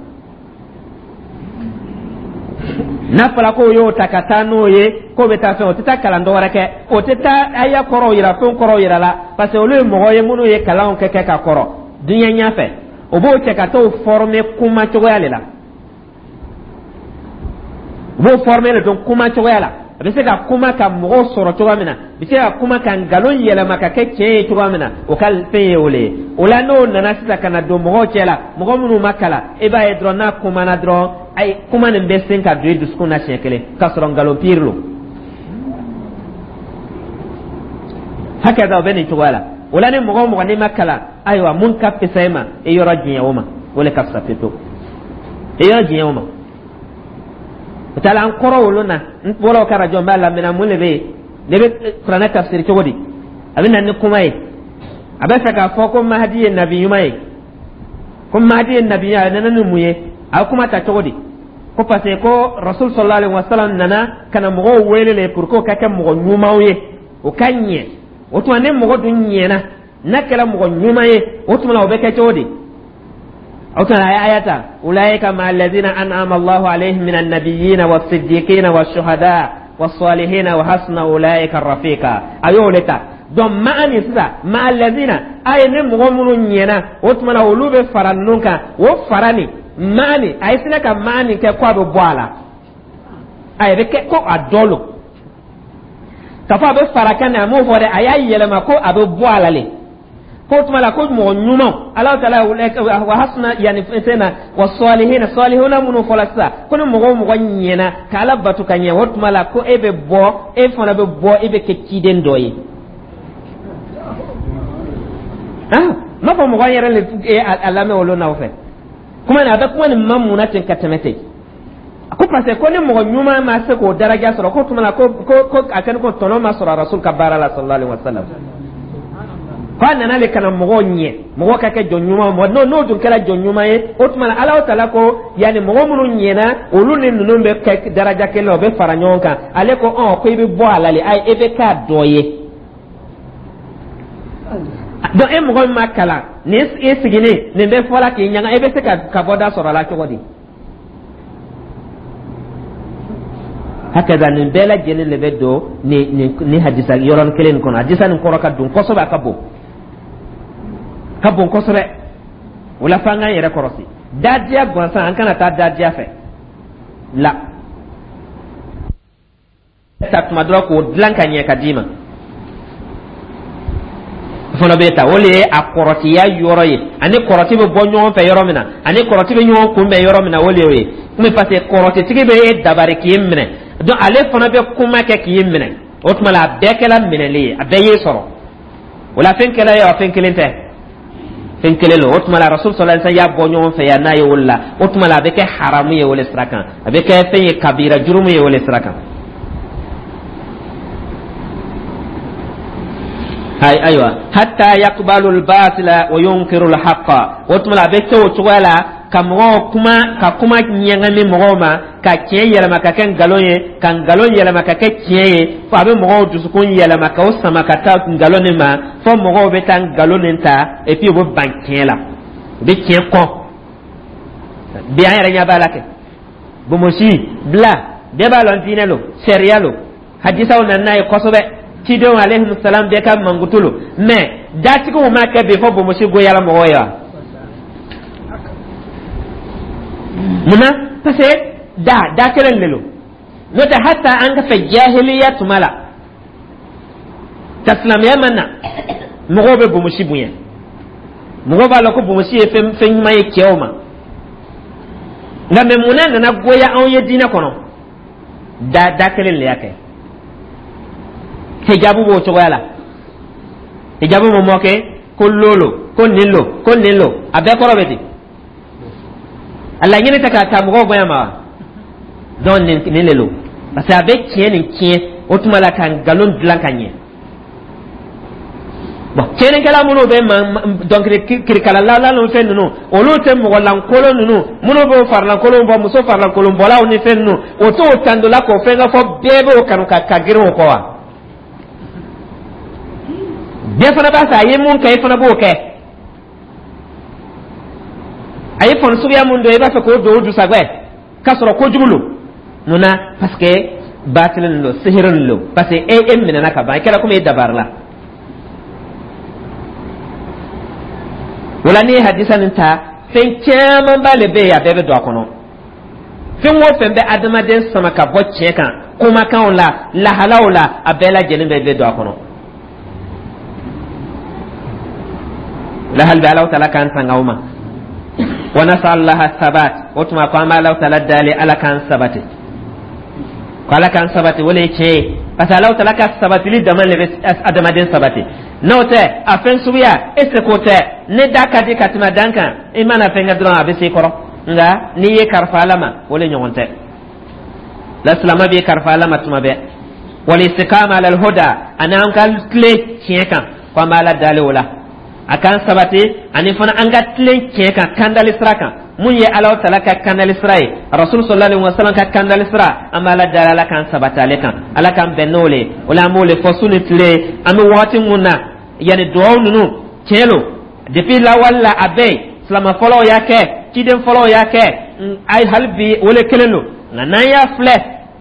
N'a fɔra k'o y'o ta ka taa n'o ye k'o bɛ taa fɛn, o tɛ taa kalan dɔwɛrɛ kɛ, o tɛ taa aya kɔrɔw yira, fɛn kɔrɔw yira la, parce que olu ye mɔgɔ ye minnu ye kalanw kɛ kɛ ka kɔrɔ diɲɛ ɲɛfɛ. O b'o cɛ ka t'o former kuma cogoya de la, u b'o former de dɔn kuma cogoya la. A bɛ se ka kuma ka mɔgɔw sɔrɔ cogoya min na, a bɛ se ka kuma ka nkalon yɛlɛma ka kɛ tiɲɛ ye cogoya min na, o ka fɛn ye o le ye. O la n'o nana sisan ka na don mɔgɔw cɛ la, mɔgɔ minnu ma kalan, e b'a ye dɔrɔn n'a kumana dɔrɔn, ayi, kuma nin bɛ sen ka don i dusukun na siɲɛ kelen k'a sɔrɔ nkalon pire lo. Hakɛ o bɛ nin cogoya la. O la ni mɔgɔ o mɔgɔ n'i ma kalan, ayiwa, mun ka fisa i ma, i yɔrɔ diɲɛ o ma, o le ka fisa pewu, i yɔrɔ diɲɛ o ma. O taala an kɔrɔ wolo na, n bɔra o ka arajo n b'a lamɛnna, mun de bɛ yen? Ne bɛ kuranɛ tafsiri cogo di? A bɛ na ni kuma ye, a bɛ fɛ k'a fɔ ko Mahadi ye nabi ɲuman ye, ko Mahadi ye nabi ɲuman ye. A nana ni mun ye? A bɛ kuma ta cogo di? Ko parce que ko Rasul sallallahu alaihi wasallam nana ka na mɔgɔw wele le pour que o ka kɛ mɔgɔ ɲumanw ye, o ka ɲɛ. O tuma ni mɔgɔ dun ɲɛna, n'a kɛra mɔgɔ ɲuman ye, o tuma la o bɛ kɛ cogo di? O tuma a ye aya ta: ulaika ma alladhina an'ama Allahu alayhim min an-nabiyyina was-siddiqina wash-shuhada was-salihina wa hasuna ulaika rafiqa. A y'o le ta. Donc maa nin sisan, ma alladhina, a ye ni mɔgɔ minnu ɲɛna, o tuma la olu bɛ fara ninnu kan. O fara nin maa nin, a ye sinɛ ka maa nin kɛ ko a bɛ bɔ a la, a bɛ kɛ ko a dɔ lo k'a fɔ a bɛ fara kan a m'o fɔ dɛ, a y'a yɛlɛma ko a bɛ bɔ a la le. Ko tuma la ko mɔgɔ ɲumanw, Alahu taala wa hasuna yanni fɛn na wa salihina, salihuna minnu fɔla sisan, ko ni mɔgɔ o mɔgɔ ɲɛna ka Ala bato ka ɲɛ, o tuma la ko e bɛ bɔ, e fana bɛ bɔ, e bɛ kɛ ciden dɔ ye. Ah, n m'a fɔ mɔgɔ yɛrɛ le a lamɛn olu n'aw fɛ kuma nin, a bɛ kuma nin ma mun na ten ka tɛmɛ ten? A ko parce que ko ni mɔgɔ ɲuman ma se k'o daraja sɔrɔ, ko tuma la ko ko ko a kɛni ko tɔnɔ ma sɔrɔ Rasul ka baara la sallallahu alaihi wa sallam. Ko a nana le ka na mɔgɔw ɲɛ, mɔgɔ ka kɛ jɔn ɲuman. Mɔgɔ n'o n'o dun kɛra jɔn ɲuman ye, o tuma na Alahu Taala ko yanni mɔgɔ minnu ɲɛna, olu ni ninnu bɛ kɛ daraja kelen na, o bɛ fara ɲɔgɔn kan. Ale ko ɔn ko i bɛ bɔ a la le, ayi, e bɛ k'a dɔ ye. Donc e mɔgɔ min ma kalan, nin e sigilen nin bɛ fɔla k'i ɲaga, e bɛ se ka ka bɔda sɔrɔ a la cogo di? Hakaza nin bɛɛ lajɛlen de bɛ don nin nin nin hadisa yɔrɔnin kelen nin kɔnɔ. Hadisa nin kɔrɔ ka don kosɛbɛ, a ka bon, ka bon kosɛbɛ. O la f'an k'an yɛrɛ kɔlɔsi dadiya gansan, an kana taa dadiya fɛ la ta tuma dɔ k'o dilan ka ɲɛ ka d'i ma fana bɛ ta. O de ye a kɔrɔtiya yɔrɔ ye, ani kɔrɔti bɛ bɔ ɲɔgɔn fɛ yɔrɔ min na, ani kɔrɔti bɛ ɲɔgɔn kunbɛn yɔrɔ min na, o de y'o ye. Mais parce que kɔrɔtitigi bɛ e dabari k'i minɛ, donc ale fana bɛ kuma kɛ k'i minɛ. O tuma la a bɛɛ kɛla minɛli ye, a bɛɛ y'e sɔrɔ. O la fɛn kɛla ye wa, fɛn kelen tɛ, fɛn kelen don. O tuma la Rasul sallallahu alaihi wasallam y'a bɔ ɲɔgɔn fɛ yan n'a ye o la, o tuma la a bɛ kɛ haramu ye o le sira kan, a bɛ kɛ fɛn ye, kabira jurumu ye o le sira kan. Hay, ayiwa, hatta yaqbalu al-batila wa yunkiru al-haqqa. O tuma la a bɛ kɛ o cogoya la ka mɔgɔw kuma, ka kuma ɲɛgɛmi mɔgɔw ma, ka tiɲɛ yɛlɛma ka kɛ nkalon ye, ka nkalon yɛlɛma ka kɛ tiɲɛ ye, fo a bɛ mɔgɔw dusukun yɛlɛma k'o sama ka taa nkalon nin ma, fo mɔgɔw bɛ taa nkalon nin ta, et puis u bɛ ban tiɲɛ la, u bɛ tiɲɛ kɔn. Bi an yɛrɛ ɲɛ b'a la kɛ bonbonsi bila, bɛɛ b'a lɔn diinɛ lo, sariya lo, hadisaw nana n'a ye kosɛbɛ, cidenw alayhi salam bɛɛ ka mankutu lo. Mais datigiw ma kɛ bi fɔ bonbonsi goyara mɔgɔw ye wa? Munna? Parce que da da kelen de lo. N'o tɛ, hata an ka fɛ jahiliya tuma la, ka silamɛya ma na, mɔgɔw bɛ bonbonsi bonya, mɔgɔw b'a lɔn ko bonbonsi ye fɛn fɛn ɲuman ye cɛw ma. Nka mɛ munna nana goya anw ye diinɛ kɔnɔ? Da da kelen de y'a kɛ. Hijabu b'o cogoya la. Hijabu mun mɔ kɛ ko lolo, ko nin lo, ko nin lo, a bɛɛ kɔrɔ bɛ di. A laɲini tɛ k'a ta mɔgɔw bonya ma wa? Donc nin nin de lo, parce que a bɛ tiɲɛ nin tiɲɛ, o tuma la ka nkalon dilan ka ɲɛ. Bon, tiɲɛnikɛla minnu bɛ dɔnkili kirikala ni fɛn ninnu, olu tɛ mɔgɔ lankolon ninnu minnu b'o farilankolon bɔ, muso farilankolon bɔlaw ni fɛn ninnu, o t'o tandola k'o fɛn ka fɔ bɛɛ b'o kanu ka ka girin o kɔ wa? Bɛɛ fana b'a fɛ a ye mun kɛ, i fana b'o kɛ. A ye fani suguya mun don, i b'a fɛ k'o don o dusagɛ k'a sɔrɔ kojugu lo. Mun na? Parce que baatili lo, sihiri lo, parce que e e minɛna ka ban, i kɛra komi e dabari la. O la n'i ye hadisa nin ta, fɛn camanba le bɛ yen, a bɛɛ bɛ don a kɔnɔ. Fɛn o fɛn bɛ adamaden sama ka bɔ tiɲɛ kan, kumakanw la, lahalaw la, a bɛɛ lajɛlen bɛɛ bɛ don a kɔnɔ. La hali bɛ Alahu Taala k'an tanga o ma. Wa nasalaha sabat. O tuma ko an bɛ Alahu Taala dali Ala k'an sabati, ko Ala k'an sabati. O le ye tiɲɛ ye, parce que Alahu Taala ka sabatili dama le bɛ adamaden sabati. N'o tɛ, a fɛn suguya e seko tɛ. Ne da ka di ka tɛmɛ dan kan, i mana fɛn kɛ dɔrɔn a bɛ se i kɔrɔ. Nka n'i ye karifa Ala ma, o le ɲɔgɔn tɛ. La silama b'i karifa Ala ma tuma bɛɛ. Wal istiqama ala alhuda, ani an ka tilen tiɲɛ kan, ko an bɛ Ala dali o la a k'an sabati, ani fana an ka tilen tiɲɛ kan, kandali sira kan. Mun ye Alahu Taala ka kandali sira ye, Rasul sallallahu alaihi wasallam ka kandali sira, an bɛ Ala dali Ala k'an sabati ale kan, Ala k'an bɛn n'o le ye. O la an b'o le fɔ su ni tile. An bɛ wagati mun na, yanni duwawu ninnu tiɲɛ lo, depuis lawale la a bɛ yen, silama fɔlɔw y'a kɛ, ciden fɔlɔw y'a kɛ, ayi, hali bi o le kelen lo. Nka n'an y'a filɛ,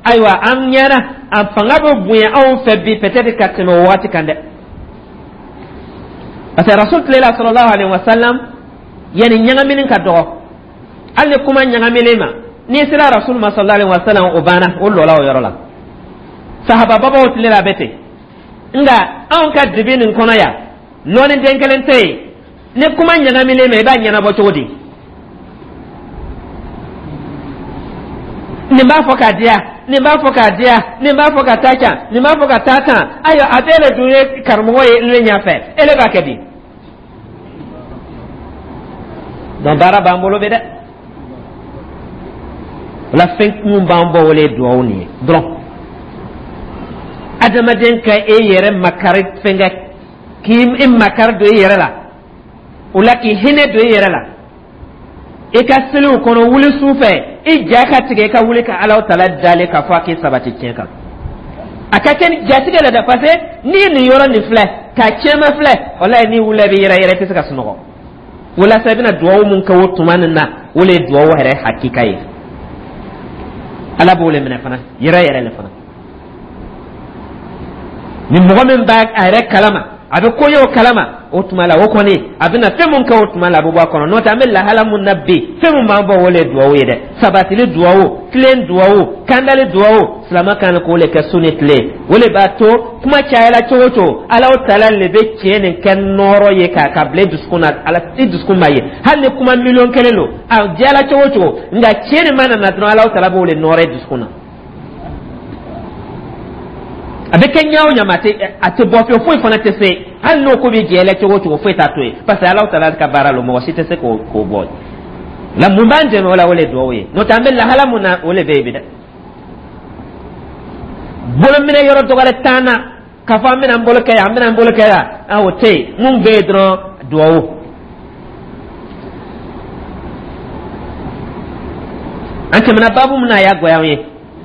ayiwa, an ɲɛna a fanga bɛ bonya anw fɛ bi peut-être ka tɛmɛ o waati kan dɛ. Parce que Rasul tile la sallallahu alaihi wasallam, yanni ɲagamini ka dɔgɔ, hali ni kuma ɲagaminen ma, n'i sera Rasul ma sallallahu alaihi wasallam, o banna, o lɔla o yɔrɔ la. Sahaba babaw tile la a bɛ ten. Nka anw ka dibi nin kɔnɔ yan, lɔnni den kelen tɛ yen. Ni kuma ɲagaminen ma, i b'a ɲɛnabɔ cogo di? Nin b'a fɔ k'a diya, nin b'a fɔ k'a diya, nin b'a fɔ ka taa can, nin b'a fɔ ka taa tan. Ayiwa, a bɛɛ le dun ye karamɔgɔ ye ne ɲɛfɛ, e le b'a kɛ di? Donc baara b'an bolo bi dɛ. O la fɛn mun b'an bɔ, o le ye duwawu nin ye dɔrɔn. Adamaden ka e yɛrɛ makari fɛn kɛ. K'i makari don i yɛrɛ la, o la k'i hinɛ don i yɛrɛ la. I ka seliw kɔnɔ, wuli su fɛ, i ja ka tigɛ, i ka wuli ka Alahu Taala dalen k'a fɔ a k'i sabati tiɲɛ kan. A ka kɛ ni jatigɛ la dɛ, parce que n'i ye nin yɔrɔ nin filɛ k'a tiɲɛma filɛ, walayi, n'i wulila, i bɛ yɛrɛ yɛrɛ, i tɛ se ka sunɔgɔ. Walasa i bɛna duwawu mun kɛ o tuma nin na, o le ye duwawu yɛrɛ hakika ye. Ala b'o le minɛ fana yɛrɛ yɛrɛ le fana. Ni mɔgɔ min b'a a yɛrɛ kalama, a bɛ ko ye o kalama, o tuma la, o kɔni a bɛna fɛn mun kɛ o tuma la, a bɛ bɔ a kɔnɔ. N'o tɛ, an bɛ lahala mun na bi, fɛn mun b'an bɔ, o le ye duwawu ye dɛ. Sabatili duwawu, tilen duwawu, kandali duwawu, silamɛ kan k'o le kɛ su ni tile. O le b'a to kuma cayala cogo o cogo, Alahu Taala le bɛ tiɲɛ nin kɛ nɔɔrɔ ye k'a ka bila i dusukun na. Ala i dusukun b'a ye, hali ni kuma miliyɔn kelen don, a diyala cogo o cogo, nka tiɲɛ nin mana na dɔrɔn, Alahu Taala b'o le nɔɔrɔ i dusukun na. A bɛ kɛ ɲɛ o ɲɛ ma, a tɛ bɔ fiyewu, foyi fana tɛ se. Hali n'o ko bɛ jɛ la cogo o cogo, foyi t'a to yen, parce que Alahu Taala ka baara lo, mɔgɔ si tɛ se k'o k'o bɔ. La mun b'an dɛmɛ o la? O le ye duwawu ye. N'o tɛ, an bɛ lahala mun na, o le bɛ yen bi dɛ. Bolominɛ yɔrɔ dɔgɔyara t'an na k'a fɔ an bɛna an bolo kɛ yan, an bɛna an bolo kɛ yan, ah, o tɛ yen. Mun bɛ yen dɔrɔn, duwawu. An tɛmɛna baabu min na, a y'a goya an ye.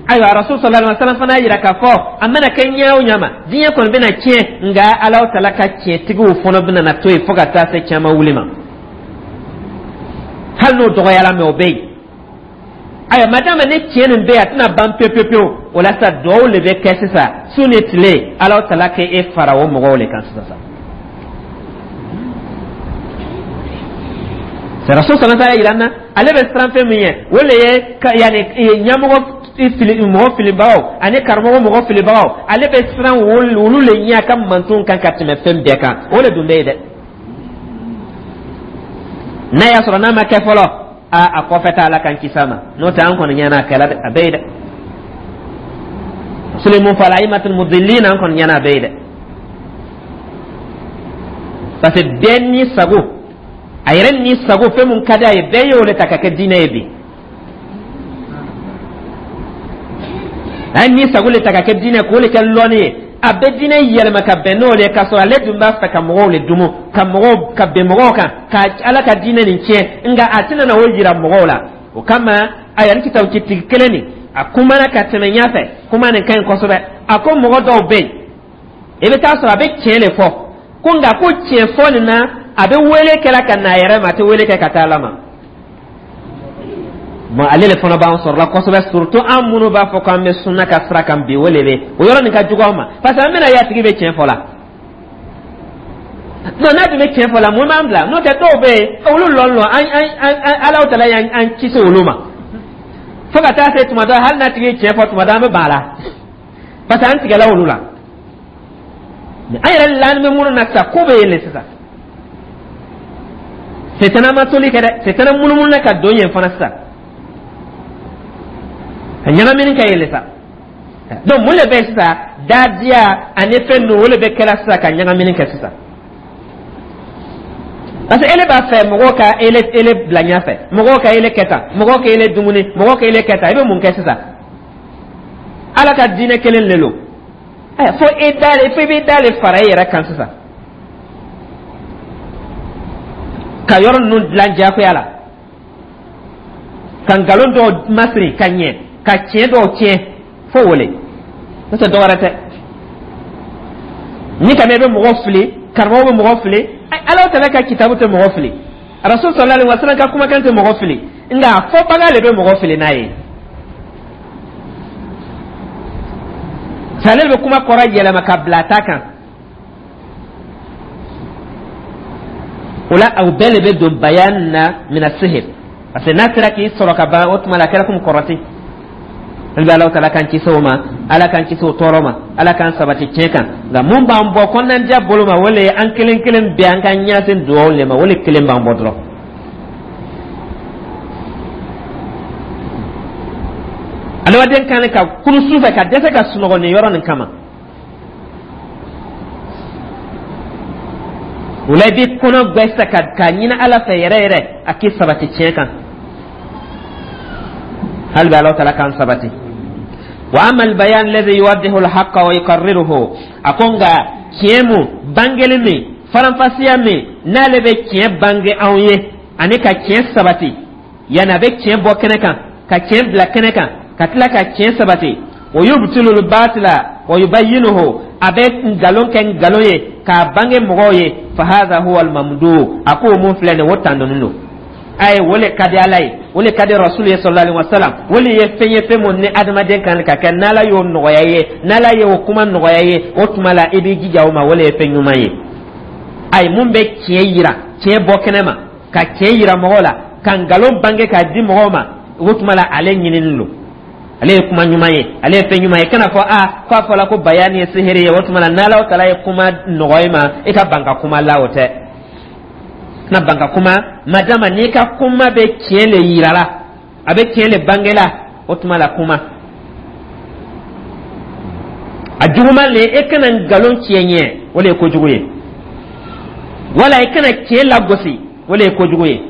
Ayiwa, Rasul sallallahu alaihi wasallam fana y'a jira k'a fɔ a mana kɛ ɲɛ o ɲɛ ma, diɲɛ kɔni bɛna tiɲɛ, nka Alahu Taala ka tiɲɛtigiw fana bɛna na to yen fo ka taa se caman wuli ma, hali n'o dɔgɔyara, mɛ o bɛ yen. Ayiwa, madama ni tiɲɛ nin bɛ yen, a tɛna ban pewu pewu pewu. O la sisan, duwawu de bɛ kɛ sisan su ni tile, Alahu Taala k'e e fara o mɔgɔw de kan sisan sa. Rasul sallallahu alaihi wasallam yira na, ale bɛ siran fɛn min ye, o le ye ka yanni ɲɛmɔgɔ fili, mɔgɔ filibagaw ani karamɔgɔ mɔgɔ filibagaw, ale bɛ siran olu le ɲɛ a ka mantonw kan ka tɛmɛ fɛn bɛɛ kan. O le dun bɛ yen dɛ. N'a y'a sɔrɔ n'a ma kɛ fɔlɔ, a a kɔfɛ ta, Ala k'an kisi a ma. N'o tɛ, an kɔni ɲɛna a kɛla dɛ, a bɛ yen dɛ. Suleiman fala aimatul mudillin, an kɔni ɲɛna a bɛ yen dɛ, parce que bɛɛ ni sago, a yɛrɛ ni sago, fɛn mun ka di a ye, bɛɛ y'o le ta ka kɛ diinɛ ye bi. A ye ni sago le ta ka kɛ diinɛ, k'o le kɛ lɔnni ye. A bɛ diinɛ yɛlɛma ka bɛn n'o le ye, k'a sɔrɔ ale dun b'a fɛ ka mɔgɔw le dumu, ka mɔgɔw ka bɛn mɔgɔw kan, ka Ala ka diinɛ nin tiɲɛ, nka a tɛna na o yira mɔgɔw la. O kama, ayiwa, ni kitabutigi kelen nin a kumana ka tɛmɛ ɲɛfɛ, kuma nin ka ɲi kosɛbɛ. A ko mɔgɔ dɔw bɛ yen, i bɛ taa sɔrɔ a bɛ tiɲɛ de fɔ ko, nka ko tiɲɛ fɔ nin na, a bɛ wele kɛla ka na a yɛrɛ ma, a tɛ wele kɛ ka taa Ala ma. Bon, ale de fana b'an sɔrɔla kosɛbɛ, surtout an minnu b'a fɔ k'an bɛ sunna ka sira kan bi, o de bɛ o yɔrɔ nin ka jugu an ma, parce que an bɛna ye a tigi bɛ tiɲɛ fɔ la. Non, n'a tun bɛ tiɲɛ fɔ la, mun b'an bila? N'o tɛ, dɔw bɛ yen, olu lɔn lɔn an an an Alahu Taala y'an an kisi olu ma fo ka taa se tuma dɔ, hali n'a tigi ye tiɲɛ fɔ tuma dɔ, an bɛ ban a la, parce que an tigɛla olu la. An yɛrɛ lani bɛ minnu na sisan, ko bɛ yen de sisan. Setana ma toli kɛ dɛ, setana munumunu na ka don yen fana sisan, ka ɲagamini kɛ yen de sa. Donc mun de bɛ yen sisan? Dadiya ani fɛn ninnu, o de bɛ kɛla sisan ka ɲagamini kɛ sisan, parce que ele b'a fɛ mɔgɔw ka ele ele bila ɲɛfɛ, mɔgɔw ka ele kɛ tan, mɔgɔw ka ele dumuni, mɔgɔw ka ele kɛ tan. I bɛ mun kɛ sisan? Ala ka diinɛ kelen le lo ɛ, fo e da le, fo i b'i da le fara i yɛrɛ kan sisan, ka yɔrɔ ninnu dilan diyagoya la, ka nkalon dɔw masiri ka ɲɛ, ka tiɲɛ dɔw tiɲɛ, fo wele n'o tɛ dɔwɛrɛ tɛ. Ni ka mɛn i bɛ mɔgɔ fili, karamɔgɔ bɛ mɔgɔ fili, Ala tala ka kitabu tɛ mɔgɔ fili, Rasul sallallahu alaihi wasallam ka kumakan tɛ mɔgɔ fili, nka a fɔbaga le bɛ mɔgɔ fili n'a ye. Ale bɛ kuma kɔrɔ yɛlɛma ka bila a ta kan. O la, o bɛɛ de bɛ don bayan na mina sihir, parce que n'a sera k'i sɔrɔ ka ban, o tuma la a kɛra komi kɔrɔti. Hali bi, Alahu Taala k'an kisi o ma, Ala k'an kisi o tɔɔrɔ ma, Ala k'an sabati tiɲɛ kan. Nka mun b'an bɔ kɔnɔnadiya bolo ma, o le ye an kelen kelen bɛɛ an ka ɲɛsin dugawu le ma, o le kelen b'an bɔ dɔrɔn. Adamaden kan ka kunu su fɛ ka dɛsɛ ka sunɔgɔ nin yɔrɔ nin kama. O la, i b'i kɔnɔ gbɛ sisan ka k'a ɲini Ala fɛ yɛrɛ yɛrɛ, a k'i sabati tiɲɛ kan. Hali bi, Alahu Taala k'an sabati. Wa ama albayan alladhi yuwaddihu alhaqqa wa yuqarriruhu, a ko nka Tiɲɛ mun bangeli min, faranfasiya min n'ale bɛ tiɲɛ bange anw ye ani ka tiɲɛ sabati, yanni a bɛ tiɲɛ bɔ kɛnɛ kan, ka tiɲɛ bila kɛnɛ kan, ka tila ka tiɲɛ sabati. Wa yubtilul batila wa yubayyinuhu, a bɛ nkalon kɛ nkalon ye k'a bange mɔgɔw ye. Fa hadha huwa al-mamduh, a ko mun filɛ nin ye, o tandɔnnen don. Ayi, o le ka di Ala ye, o le ka di Rasulu ye sallallahu alaihi wasallam. O le ye fɛn ye, fɛn mun ni adamaden kan ka kɛ. N'Ala y'o nɔgɔya i ye, n'Ala y'o kuma nɔgɔya i ye, o tuma la i b'i jija o ma. O le ye fɛn ɲuman ye. Ayi, mun bɛ tiɲɛ yira, tiɲɛ bɔ kɛnɛ ma, ka tiɲɛ yira mɔgɔw la, ka nkalon bange k'a di mɔgɔw ma, o tuma la ale ɲinini don, ale ye kuma ɲuman ye, ale ye fɛn ɲuman ye. Kana fɔ a k'a fɔla ko bayani ye sihiri ye, o tuma la n'Ala tala ye kuma nɔgɔya i ma, i ka ban ka kuma la, o tɛ. Kana ban ka kuma madama n'i ka kuma bɛ tiɲɛ le yira la, a bɛ tiɲɛ le bange la, o tuma la kuma. A juguman le, e kana nkalon tiɲɛ ɲɛ, o le ye kojugu ye, wala i kana tiɲɛ lagosi, o le ye kojugu ye.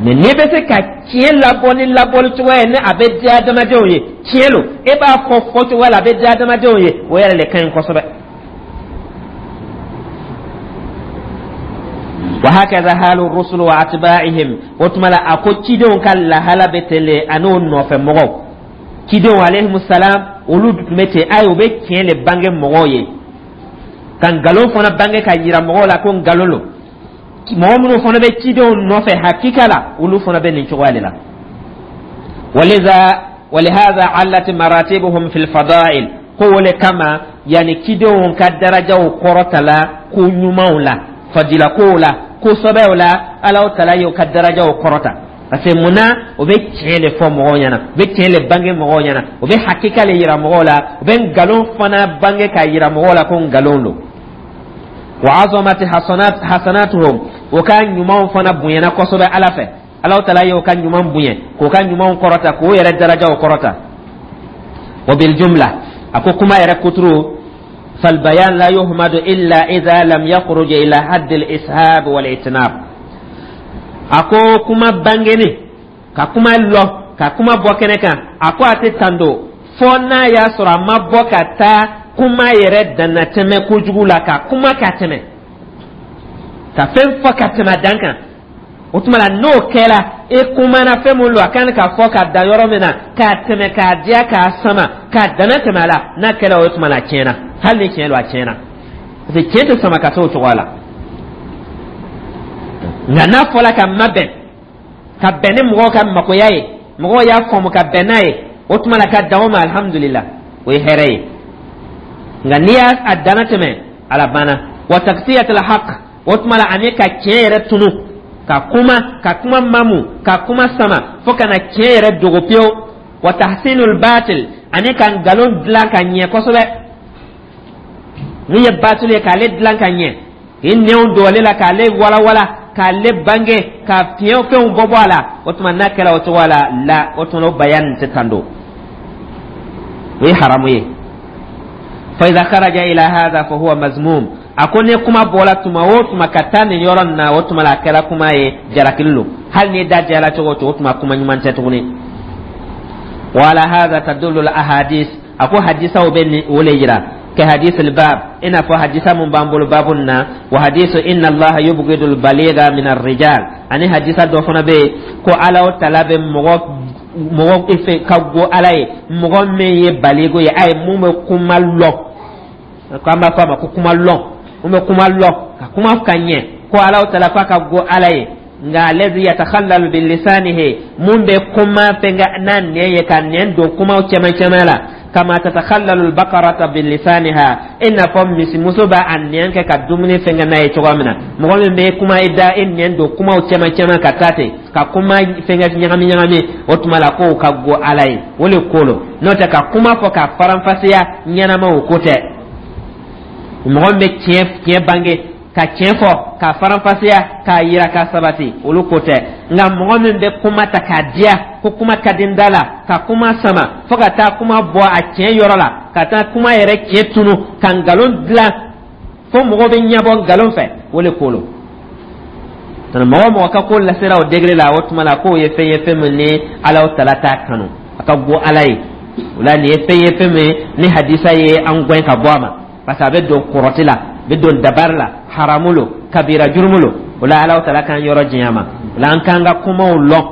Mɛ n'i bɛ se ka tiɲɛ labɔ ni labɔli cogoya ye, ni a bɛ diya adamadenw ye, tiɲɛ lo, e b'a fɔ fɔcogoya la a bɛ diya adamadenw ye, o yɛrɛ le ka ɲi kosɛbɛ. Wa hakaza halu rusul wa atba'ihim, o tuma la a ko cidenw ka lahala bɛ ten le ani o nɔfɛ mɔgɔw. Cidenw alayhimu salam, olu tun bɛ ten. Ayi, u bɛ tiɲɛ le bange mɔgɔw ye, ka nkalon fana bange ka yira mɔgɔw la ko nkalon lo. Mɔgɔ minnu fana bɛ cidenw nɔfɛ hakika la, olu fana bɛ nin cogoya de la. Waliza walihaza allat maratibuhum fil fadail, ko o le kama yanni cidenw ka darajaw kɔrɔtala ko ɲumanw la, fadila kow la, ko sɔbɛw la, Alaw tala y'o ka darajaw kɔrɔta. Parce que munna? O bɛ tiɲɛ de fɔ mɔgɔw ɲɛna, o bɛ tiɲɛ de bange mɔgɔw ɲɛna, o bɛ hakika le yira mɔgɔw la, o bɛ nkalon fana bange k'a yira mɔgɔw la ko nkalon don. Wa azamati hasanat hasanatuhum, o ka ɲumanw fana bonyana kosɛbɛ Ala fɛ. Alaw tala y'o ka ɲuman bonya, k'o ka ɲumanw kɔrɔta, k'o yɛrɛ darajaw kɔrɔta. Wa bil jumla, a ko kuma yɛrɛ kuturu, falbayan la yuhmadu illa idha lam yakhruj ila hadd al ishab wal itnab. A ko kuma bangeni, ka kuma lɔ, ka kuma bɔ kɛnɛ kan, a ko a tɛ tando fɔ n'a y'a sɔrɔ a ma bɔ ka taa kuma yɛrɛ dannatɛmɛ kojugu la, ka kuma ka tɛmɛ, ka fɛn fɔ ka tɛmɛ a dan kan. O tuma la n'o kɛra, e kumana fɛn mun don, a kan ka fɔ ka dan yɔrɔ min na, k'a tɛmɛ, k'a diya, k'a sama, k'a dana tɛmɛ a la, n'a kɛra o tuma la, a tiɲɛna. Hali ni tiɲɛ don, a tiɲɛna, parce que tiɲɛ tɛ sama ka se o cogoya la. Nka n'a fɔla ka mabɛn, ka bɛn ni mɔgɔw ka makoya ye, mɔgɔw y'a faamu ka bɛn n'a ye, o tuma la ka dan o ma, alihamudulila, o ye hɛrɛ ye. Nka n'i y'a dana tɛmɛ, ala banna. Wa taksiyatul haq, o tuma la ani ka tiɲɛ yɛrɛ tunu, ka kuma, ka kuma mamu, ka kuma sama fo ka na tiɲɛ yɛrɛ dogo pewu. Wa tahsinul batil, ani ka nkalon dilan ka ɲɛ kosɛbɛ. Mun ye batil ye, k'ale dilan ka ɲɛ, k'i nɛnw don ale la, k'ale walawala, k'ale bange, ka fiɲɛ fɛnw bɔ bɔ a la, o tuma n'a kɛra o cogoya la la, o tuma o bayan tɛ tan don, o ye haramu ye. Fa idha kharaja ila hadha fa huwa mazmum. A ko ni kuma bɔra tuma o tuma ka taa nin yɔrɔ nin na, o tuma la a kɛra kuma ye, jalakili don. Hali ni da diyara cogo o cogo, o tuma kuma ɲuman tɛ tuguni. Wa ala hadha tadullu al ahadith, a ko hadisaw bɛ nin o le yira, ka hadith al bab, i n'a fɔ hadisa mun b'an bolo babu nin na, wa hadisu inna Allaha yubghidu al baligha min ar rijal, ani hadisa dɔ fana bɛ yen ko Ala tala bɛ mɔgɔ mɔgɔ fɛ ka go Ala ye, mɔgɔ min ye baligo ye, a ye mun bɛ kuma lɔn, ko an b'a fɔ a ma ko kuma lɔn, mun bɛ kuma lɔn, ka kuma ka ɲɛ, ko Ala tala k'a ka go Ala ye. Nka allazi yatakhallalu bilisanihi, mun bɛ kuma fɛnkɛ n'a nɛn ye, ka nɛn don kumaw cɛman cɛman la, kama tatakhallalu albakarata bilisaniha, i n'a fɔ misimuso b'a a nɛn kɛ ka dumuni fɛnkɛ n'a ye cogoya min na. Mɔgɔ min bɛ kuma, i da i nɛn don kumaw cɛman cɛman ka taa ten, ka kuma fɛnkɛ ɲagami ɲagami, o tuma la k'o ka go Ala ye, o le ko lo. N'o tɛ, ka kuma fɔ ka faranfasiya ɲɛnama, o ko tɛ. Mɔgɔ min bɛ tiɲɛ tiɲɛ bange, ka tiɲɛ fɔ ka faranfasiya, k'a yira, k'a sabati, olu ko tɛ. Nka mɔgɔ min bɛ kuma ta k'a diya, ko kuma ka di n da la, ka kuma sama fo ka taa kuma bɔ a tiɲɛ yɔrɔ la, ka taa kuma yɛrɛ tiɲɛ tunu, ka nkalon dilan fo mɔgɔ bɛ ɲɛbɔ nkalon fɛ, o le ko lo. Mɔgɔ mɔgɔ ka ko lasera o degré la, o tuma la k'o ye fɛn ye, fɛn min ni Ala tala t'a kanu, a ka go Ala ye. O la nin ye fɛn ye, fɛn min ni hadisa ye an gɛn ka bɔ a ma. Parce que a bɛ don kɔrɔti la, a bɛ don dabari la, haramu lo, kabira jurumu lo. O la, Ala taala k'an yɔrɔ janya ma. O la, an k'an ka kumaw lɔn,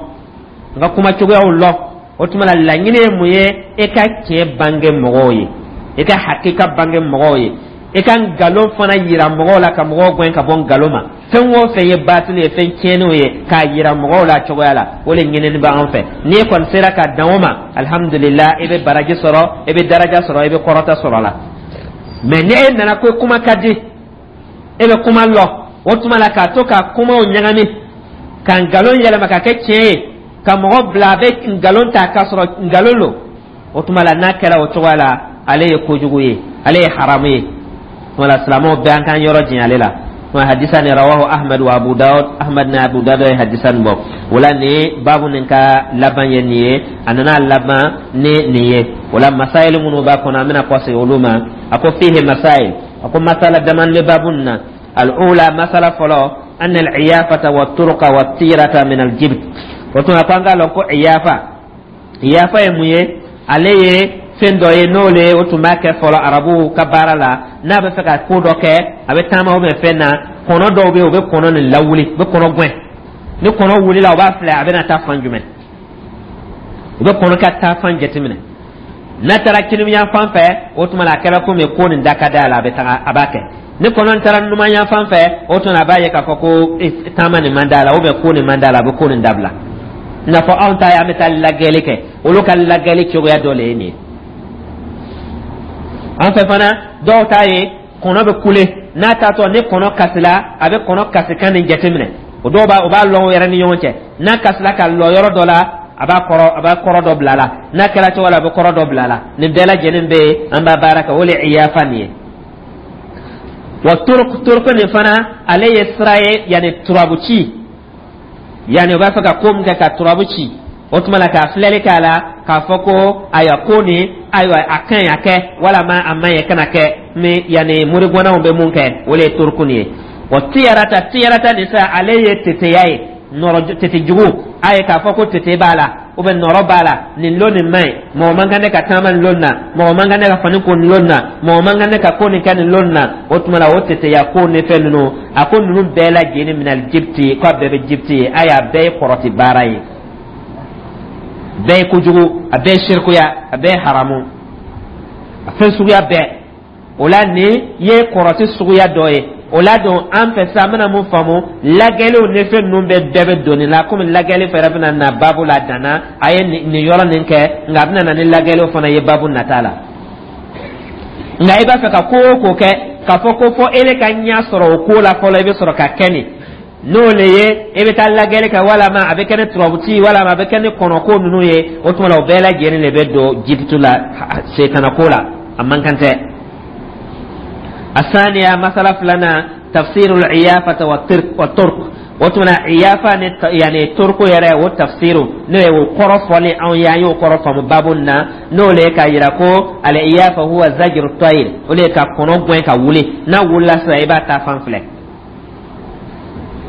an ka kuma cogoyaw lɔn. O tuma la, laɲini ye mun ye? E ka tiɲɛ bange mɔgɔw ye, e ka hakika bange mɔgɔw ye, e ka nkalon fana yira mɔgɔw la, ka mɔgɔw gɛn ka bɔ nkalon ma. Fɛn o fɛn ye batili ye, fɛn tiɲɛniw ye, k'a yira mɔgɔw la cogoya la, o de ɲinini bɛ an fɛ. N'i kɔni sera ka dan o ma, alihamudulila, i bɛ baraji sɔrɔ, i bɛ daraja sɔrɔ, i bɛ kɔrɔta sɔrɔ a la. Mɛ ni e nana ko kuma ka di, e bɛ kuma lɔ, o tuma la k'a to ka kumaw ɲagami, ka nkalon yɛlɛma ka kɛ tiɲɛ ye, ka mɔgɔ bila a bɛ nkalon ta k'a sɔrɔ nkalon lo, o tuma la, n'a kɛra o cogoya la, ale ye kojugu ye, ale ye haramu ye. Wala silamɛw bɛɛ, an k'an yɔrɔ janya ale la. Wa hadisa ni rawahu Ahmad wa Abu Dawud. Ahmad ni Abu Dawud ye hadisa nin bɔ. Wala ni baabu nin ka laban ye nin ye, a nana laban ni nin ye. Wala masaayil minnu b'a kɔnɔ, an bɛna kɔsegin olu ma. A ko fihi masaayil, a ko masala daman bɛ baabu nin na. Al-ula, masala fɔlɔ, anna al-iyafata wa turqa wa tirata min al-jibt. O tuma ko an k'a lɔn ko iyafa, iyafa ye mun ye? Ale ye fɛn dɔ ye, n'o le o tun b'a kɛ fɔlɔ arabuw ka baara la. N'a bɛ fɛ ka ko dɔ kɛ, a bɛ taama ou bien fɛn na, kɔnɔ dɔw bɛ yen, u bɛ kɔnɔ nin lawuli, u bɛ kɔnɔ gɛn. Ni kɔnɔ wulila, u b'a filɛ a bɛna taa fan jumɛn. U bɛ kɔnɔ ka taa fan jateminɛ. N'a taara kiniyan fan fɛ, o tuma la, a kɛra komi ko nin da ka d'a la, a bɛ taga, a b'a kɛ. Ni kɔnɔ taara numan yan fan fɛ, o tuma a b'a ye k'a fɔ ko taama nin man d'a la, ou bien ko nin man d'a la, a bɛ ko nin dabila. I n'a fɔ anw ta ye, an bɛ taa lajɛli kɛ, olu ka lajɛli cogoya dɔ le ye nin ye. An fɛ fana, dɔw ta ye kɔnɔ bɛ kule n'a taatɔ. Ni kɔnɔ kasila, a bɛ kɔnɔ kasikan nin jateminɛ. O dɔw b'a, o b'a lɔn o yɛrɛ ni ɲɔgɔn cɛ. N'a kasila ka lɔ yɔrɔ dɔ la, a b'a kɔrɔ, a b'a kɔrɔ dɔ bila a la. N'a kɛra cogo la, a bɛ kɔrɔ dɔ bila a la. Nin bɛɛ lajɛlen bɛ yen, an b'a baara kɛ, o le iyafa nin ye. Wa turuk, turuk nin fana, ale ye sira ye, yanni turabu ci, yanni u b'a fɛ ka ko min kɛ, ka turabu ci. O tuma la, k'a filɛli k'a la, k'a fɔ ko ayiwa, ko nin, ayiwa, a ka ɲi a kɛ, walama a man ɲi kana kɛ. Ni yanni morigɔnnaw bɛ mun kɛ, o le ye turuku nin ye. Wa tiyarata, tiyarata nin sa, ale ye teteya ye, nɔrɔ tete jugu. A ye k'a fɔ ko tete b'a la ou bien nɔrɔ b'a la, nin lon nin man ɲi, mɔgɔ man kan ne ka taama nin lon na, mɔgɔ man kan ne ka fani ko nin lon na, mɔgɔ man kan ne ka ko nin kɛ nin lon na. O tuma la, o teteya ko ni fɛn ninnu, a ko ninnu bɛɛ lajɛlen minal jibti, ko a bɛɛ bɛ jibti ye. A y'a bɛɛ ye kɔrɔti baara ye, bɛɛ ye kojugu, a bɛɛ ye sirikuya, a bɛɛ ye haramu, a fɛn suguya bɛɛ. O la, nin ye kɔrɔti suguya dɔ ye. O la don, an fɛ sisan, an bɛna mun faamu? Lagɛliw ni fɛn ninnu bɛɛ bɛɛ bɛ doni la, komi lagɛli fɛrɛ bɛna na baabu la danna. A ye nin yɔrɔ nin kɛ, nka a bɛna na ni lagɛliw fana ye baabu nata la. Nka i b'a fɛ ka ko o ko kɛ, k'a fɔ ko fɔ ele ka ɲɛ sɔrɔ o ko la fɔlɔ, i bɛ sɔrɔ ka kɛ nin n'o le ye, e bɛ taa lagɛli kɛ, walama a bɛ kɛ ni turabuci, walama a bɛ kɛ ni kɔnɔko ninnu ye, o tuma la, o bɛɛ lajɛlen de bɛ don jibutu la, setanako la, a man kan tɛ. Asaniya, masala filanan, tafsirul iyafata wa turk. O tuma na, iyafa ni yani turku yɛrɛ, o tafsiru, n'o ye o kɔrɔ fɔli anw ye, an y'o kɔrɔ faamu baabu nin na, n'o le ye k'a yira ko al iyafa huwa zajru tayr, o le ye ka kɔnɔ gɛn ka wuli. N'a wulila sisan, i b'a ta fan filɛ.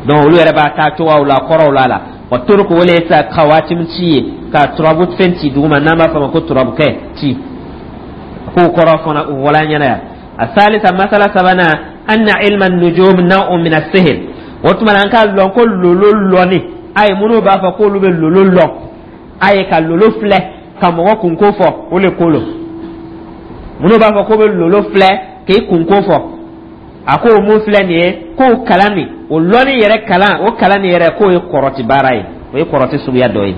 Donc olu yɛrɛ b'a taa cogoyaw la, kɔrɔw la la. Wa turku, o le ye sa kawatim ci ye, ka turabu fɛn ci duguma, n'an b'a fɔ a ma ko turabukɛ ci. K'o kɔrɔ fana o wala ɲɛna yan. Asalisa, masala sabanan, anna ilma nujum naw'un min as-sihr. O tuma na, an k'a lɔn ko lolo lɔni, a ye minnu b'a fɔ k'olu bɛ lolo lɔn, a ye ka lolo filɛ ka mɔgɔ kunko fɔ, o le ko lo. Minnu b'a fɔ k'o bɛ lolo filɛ k'i kunko fɔ, a ko mun filɛ nin ye, k'o kalan nin, o lɔnni yɛrɛ kalan, o kalan nin yɛrɛ, k'o ye kɔrɔti baara ye, o ye kɔrɔti suguya dɔ ye.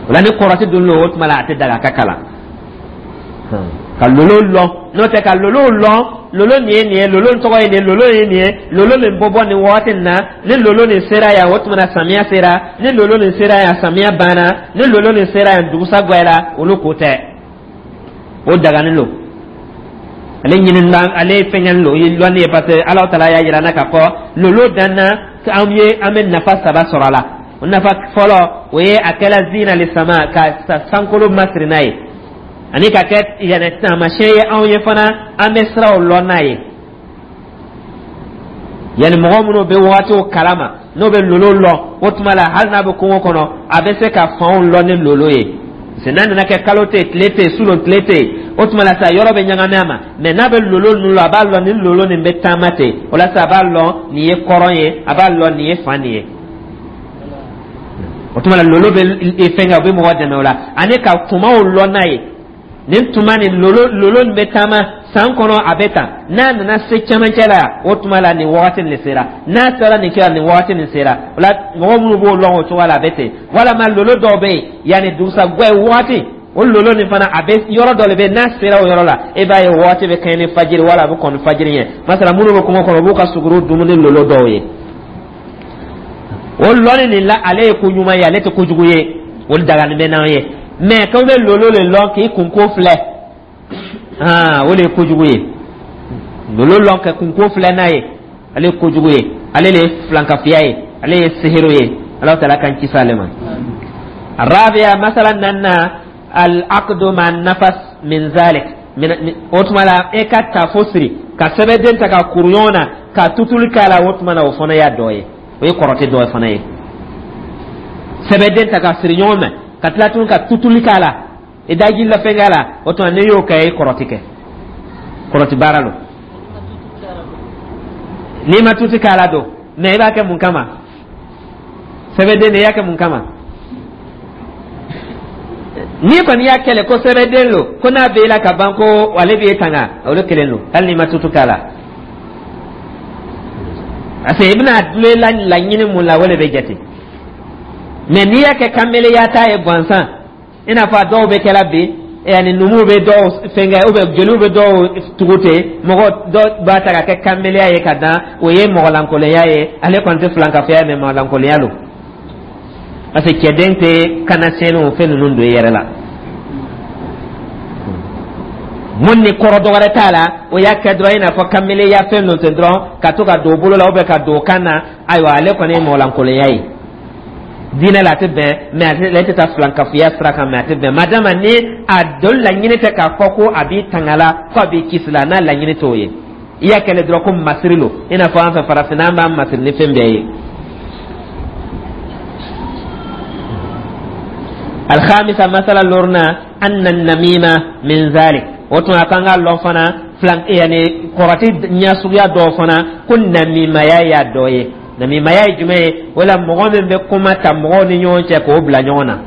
O la, ni kɔrɔti dun lo, o tuma la, a tɛ daga ka kalan ka lolo lɔn. N'o tɛ, ka lolo lɔn, lolo nin ye nin ye, lolo tɔgɔ ye nin ye, lolo ye nin ye, lolo nin bɔ bɔ nin waati nin na, ni lolo nin sera yan, o tuma na, samiya sera. Ni lolo nin sera yan, samiya banna. Ni lolo nin sera yan, dugusa gwɛra. Olu ko tɛ, o daganin lo. Ale ɲini ale fɛngɛnin lo, o ye lɔnni ye, parce que Ala taala y'a yira n na k'a fɔ lolo danna an ye, an bɛ nafa saba sɔrɔ a la. O nafa fɔlɔ, o ye a kɛla zina li sama, ka sankolo masiri n'a ye, ani ka kɛ yɛrɛ taamasiyɛn ye anw ye fana, an bɛ siraw lɔn n'a ye. Yanni mɔgɔ minnu bɛ wagatiw kalama, n'o bɛ lolo lɔn, o tuma la, hali n'a bɛ kungo kɔnɔ, a bɛ se ka fanw lɔn ni lolo ye. N'a nana kɛ kalo tɛ yen, tile tɛ yen, sulon tile tɛ yen, o tuma la sa yɔrɔ bɛ ɲagami a ma. Mɛ n'a bɛ lolo ninnu lɔn, a b'a lɔn ni lolo nin bɛ taama ten. O la sa, a b'a lɔn nin ye kɔrɔn ye, a b'a lɔn nin ye fan nin ye. O tuma la, lolo bɛ fɛn kɛ, o bɛ mɔgɔ dɛmɛ o la, ani ka tumaw lɔn n'a ye. Nin tuma nin, lolo lolo nin bɛ taama san kɔnɔ, a bɛ tan. N'a nana se cɛmancɛ la, o tuma la nin wagati nin sera. N'a sera nin kɛra, nin wagati nin sera. O la, mɔgɔ minnu b'o lɔn o cogoya la, a bɛ ten. Walama lolo dɔw bɛ yen, yanni dugusagwɛ wagati, o lolo nin fana, a bɛ yɔrɔ dɔ de bɛ yen, n'a sera o yɔrɔ la, e b'a ye wagati bɛ kɛɲɛ ni fajiri wala a bɛ kɔn ni fajiri ɲɛ. Masala, minnu bɛ kungo kɔnɔ, u b'u ka suguru dumuni lolo dɔw ye. O lɔnni nin la, ale ye ko ɲuman ye, ale tɛ kojugu ye, o dagani bɛ n'an ye. Mɛ k'aw bɛ lolo le lɔn k'i kunko filɛ, o de ye kojugu ye. Lolo lɔn ka kunko filɛ n'a ye, ale ye kojugu ye, ale de ye filankafiya ye, ale ye sehiru ye. Ala taala k'an kisi ale ma. الرابعة مثلا أن العقد مع النفس من ذلك. O tuma la, e ka tafo siri ka sɛbɛnden ta ka kuru ɲɔgɔn na ka tutuli k'a la, o tuma na, o fana y'a dɔ ye, o ye kɔrɔtɛ dɔ fana ye. Sɛbɛnden ta ka siri ɲɔgɔn ma, ka tila tuguni ka tutuli k'a la, i daji la fɛn k'a la, o tuma n'i y'o kɛ, i kɔrɔti kɛ, kɔrɔti baara lo. N'i ma tuti k'a la don, mɛ i b'a kɛ mun kama? Sɛbɛnden de, i y'a kɛ mun kama? N'i kɔni y'a kɛlɛ ko sɛbɛnden lo, ko n'a b'e la ka ban, ko ale b'e tanga, olu kelen lo, hali n'i ma tutu k'a la, parce que i bɛna dulon la laɲini mun la, o de bɛ jate. Mɛ n'i y'a kɛ kanbeleya ta ye gansan, i n'a fɔ a dɔw bɛ kɛla bi, yanni numuw bɛ dɔw fɛnkɛ, ou bien jeliw bɛ dɔw tugu ten, mɔgɔ dɔ b'a ta ka kɛ kanbeleya ye ka dan, o ye mɔgɔlankolonya ye. Ale kɔni tɛ filankafoya ye, mɛ mɔgɔlankolonya lo, parce que cɛden tɛ kana sɛnɛw fɛn ninnu don i yɛrɛ la. Mun ni kɔrɔ dɔwɛrɛ t'a la, o y'a kɛ dɔrɔn i n'a fɔ kanbeleya fɛn ninnu ten dɔrɔn, ka to ka don bolo la ou bien ka don kan na. Ayiwa, ale kɔni ye mɔgɔlankolonya ye diinɛ la, a tɛ bɛn. Mɛ ale tɛ taa filankafoya sira kan, mɛ a tɛ bɛn. Madama ni a dɔn laɲini tɛ k'a fɔ ko a b'i tanga la, ko a b'i kisi la, n'a laɲini t'o ye, i y'a kɛlɛ dɔrɔn ko masiri lo, i n'a fɔ an fɛ farafinna, an b'an masiri ni fɛn bɛɛ ye. الخامسة مثلا لورنا أن النميمة من ذلك. O tuma kan ka lɔn fana filan, yani kɔrɔti ɲɛsuguya dɔw fana, ko namimaya y'a dɔ ye. Namimaya ye jumɛn ye? O la, mɔgɔ min bɛ kuma ta mɔgɔw ni ɲɔgɔn cɛ k'o bila ɲɔgɔn na,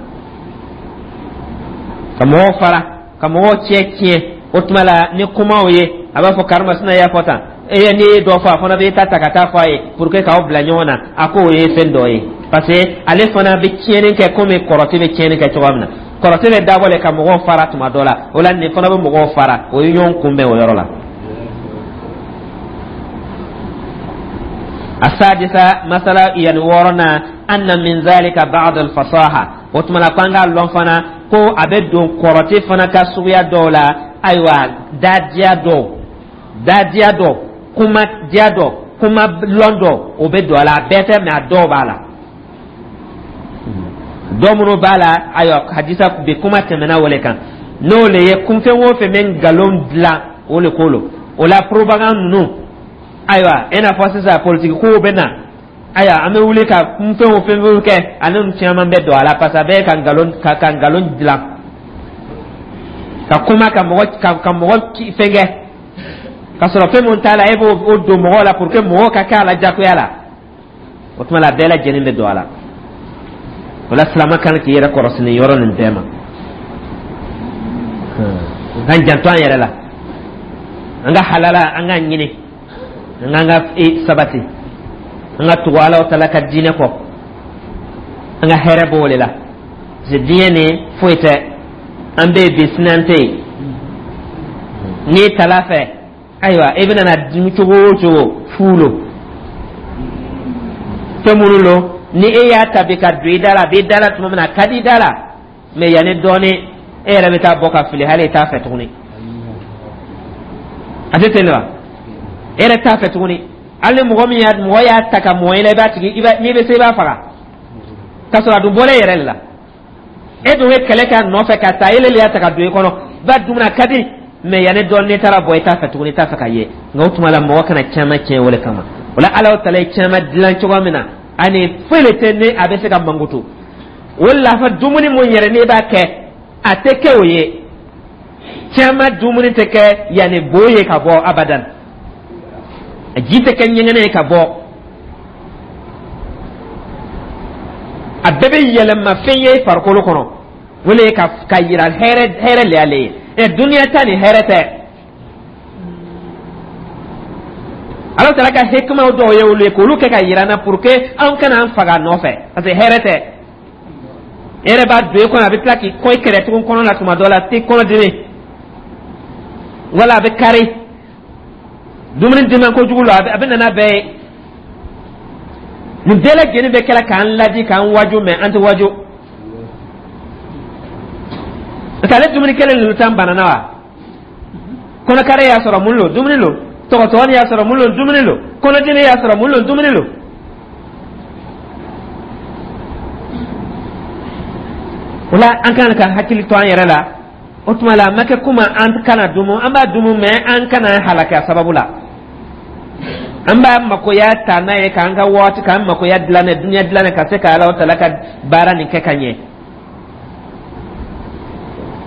ka mɔgɔw fara, ka mɔgɔw cɛ tiɲɛ. O tuma la, ni kumaw ye, a b'a fɔ karimasina y'a fɔ tan, e n'i ye dɔ fɔ, a fana bɛ ta ta ka taa fɔ a ye pour que k'aw bila ɲɔgɔn na. A ko o ye fɛn dɔ ye, parce que ale fana bɛ tiɲɛni kɛ komi kɔrɔti bɛ tiɲɛni kɛ cogoya min na. Kɔrɔti bɛ dabɔ le ka mɔgɔw fara tuma dɔ la, o la nin fana bɛ mɔgɔw fara, o ye ɲɔgɔn kunbɛn o yɔrɔ la. السادسة مثلا يعني ورنا أن من ذلك بعض الفصاحة. O tuma la, k'an k'a lɔn fana ko a bɛ don kɔrɔti fana ka suguya dɔw la. Ayiwa, dadiya dɔw, dadiya dɔ, kuma diya dɔ, kuma lɔn dɔ, o bɛ don a la. A bɛɛ tɛ, mɛ a dɔw b'a la, dɔ minnu b'a la. Ayiwa, hadisa bi kuma tɛmɛna o le kan, n'o le ye kunfɛn o fɛn bɛ nkalon dilan, o le ko lo. O la, propagande ninnu, ayiwa, i n'a fɔ sisan politiki kow bɛ na, ayiwa, an bɛ wuli ka kunfɛn o fɛn fɛn kɛ, ale ni caman bɛ don a la, parce que a bɛ ka nkalon ka ka nkalon dilan ka kuma ka mɔgɔ ka ka mɔgɔ fɛn kɛ, ka sɔrɔ fɛn mun t'a la, e b'o don mɔgɔw la pour que mɔgɔw ka kɛ a la jagoya la. O tuma la, a bɛɛ lajɛlen bɛ don a la. O la, silama kan k'i yɛrɛ kɔlɔsi nin yɔrɔ nin bɛɛ ma, k'an janto an yɛrɛ la, an ka halala an ka ɲini, an k'an ka sabati, an ka tugu Ala taala ka diinɛ kɔ, an ka hɛrɛ b'o de la, parce que diɲɛ nin foyi tɛ, an bɛ yen bi, sini an tɛ yen. N'i tala fɛ, ayiwa, i bɛna na dimi cogo o cogo, fu lo. Fɛn minnu lo, ni e y'a ta bi ka don i da la, a b'i da la tuma min na, a ka di i da la, mɛ yanni dɔɔni, e yɛrɛ bɛ taa bɔ ka fili, hali i t'a fɛ tuguni. A tɛ ten wa? E yɛrɛ t'a fɛ tuguni. Hali ni mɔgɔ min y'a mɔgɔ y'a ta ka mɔgɔ i la, i b'a tigi, i b'a n'i bɛ se, i b'a faga, k'a sɔrɔ a dun bɔra e yɛrɛ de la. E dun ye kɛlɛ kɛ a nɔfɛ ka taa, e le y'a ta ka don i kɔnɔ, ba dumuni a ka di, mɛ yanni dɔɔni, n'i taara bɔ, i t'a fɛ tuguni, i t'a fɛ ka ye. Nka o tuma la, mɔgɔ kana caman tiɲɛ o de kama. O la, Ala ta ye caman dilan cogoya min na, ani foyi de tɛ ni a bɛ se ka mankutu. O la, fɔ dumuni mun yɛrɛ n'i b'a kɛ, A tɛ kɛ o ye. Caman dumuni tɛ kɛ yanni bo ye ka bɔ abadan, a ji tɛ kɛ ɲɛgɛnɛ ye ka bɔ. A bɛɛ bɛ yɛlɛma fɛn ye farikolo kɔnɔ. O le ye ka ka yira hɛrɛ hɛrɛ le y'ale ye. Ɛ, duniya ta ni hɛrɛ tɛ. Ala taala ka hikimaw dɔw ye olu ye k'olu kɛ ka yira an na pour que an kana an faga a nɔfɛ, parce que hɛrɛ tɛ. E yɛrɛ b'a don e kɔnɔ, a bɛ tila k'i kɔ i kɛrɛ tugun kɔnɔ la. Tuma dɔ la a t'i kɔnɔ dimi wala a bɛ kari dumuni dima kojugu la, a bɛ na n'a bɛɛ ye. Nin bɛɛ lajɛlen bɛ kɛra k'an ladi, k'an waju, mɛ an tɛ waju, parce que ale dumuni kelen ninnu t'an banana wa. Kɔnɔkari y'a sɔrɔ mun lo? Dumuni lo. Tɔgɔtɔgɔni y'a sɔrɔ mun lo? Dumuni lo. Kɔnɔdimi y'a sɔrɔ mun lo? Dumuni lo. O la, an kan ka hakili to an yɛrɛ la. O tuma la, a ma kɛ kuma an kana dumu, an b'a dumu, mɛ an kana halaki a sababu la. An b'a makoya ta n'a ye k'an ka waati, k'an makoya dilan, duniya dilan, ka se ka Ala tala ka baara nin kɛ ka ɲɛ.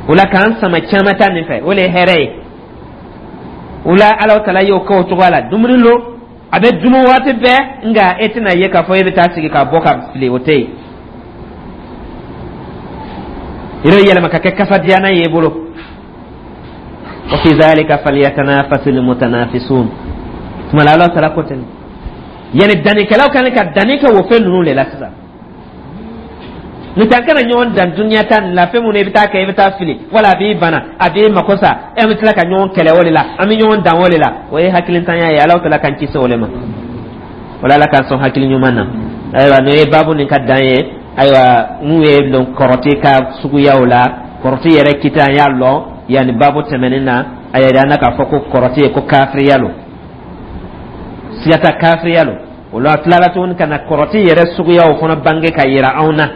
O la, k'an sama caman ta nin fɛ, o le ye hɛrɛ ye. O la, Ala tala y'o kɛ o cogoya la. Dumuni lo, a bɛ dumu waati bɛɛ, nka e tɛna ye k'a fɔ e bɛ taa sigi ka bɔ ka fili, o tɛ yen. Yɛrɛ yɛlɛma ka kɛ kasadiyanan ye i bolo. Wa fi dhalika falyatanafasil mutanafisun. Tuma la, Ala taala ko ten, yani dannikɛlaw kan ka danni kɛ o fɛn ninnu de la sisan. N'o tɛ, an kana ɲɔgɔn dan duniya ta nin la. Fɛn minnu i bɛ taa kɛ, i bɛ taa fili wala a b'i bana, a b'i mako sa, e bɛ tila ka ɲɔgɔn kɛlɛ o de la, an bɛ ɲɔgɔn dan o de la, o ye hakilintanya ye. Ala taala k'an kisi o de ma. Wala Ala k'an sɔn hakili ɲuman na. Ayiwa, n'o ye baabu nin ka dan ye. Ayiwa, n'u ye lɔn kɔrɔti ka suguyaw la, kɔrɔti yɛrɛ kita, an y'a lɔn yanni baabu tɛmɛnen na. A yɛrɛ an na k'a fɔ ko kɔrɔti ye ko kafiriya lo, siga ta, kafiriya lo. O la, a tilala tuguni ka na kɔrɔti yɛrɛ suguyaw fana bange ka yira anw na,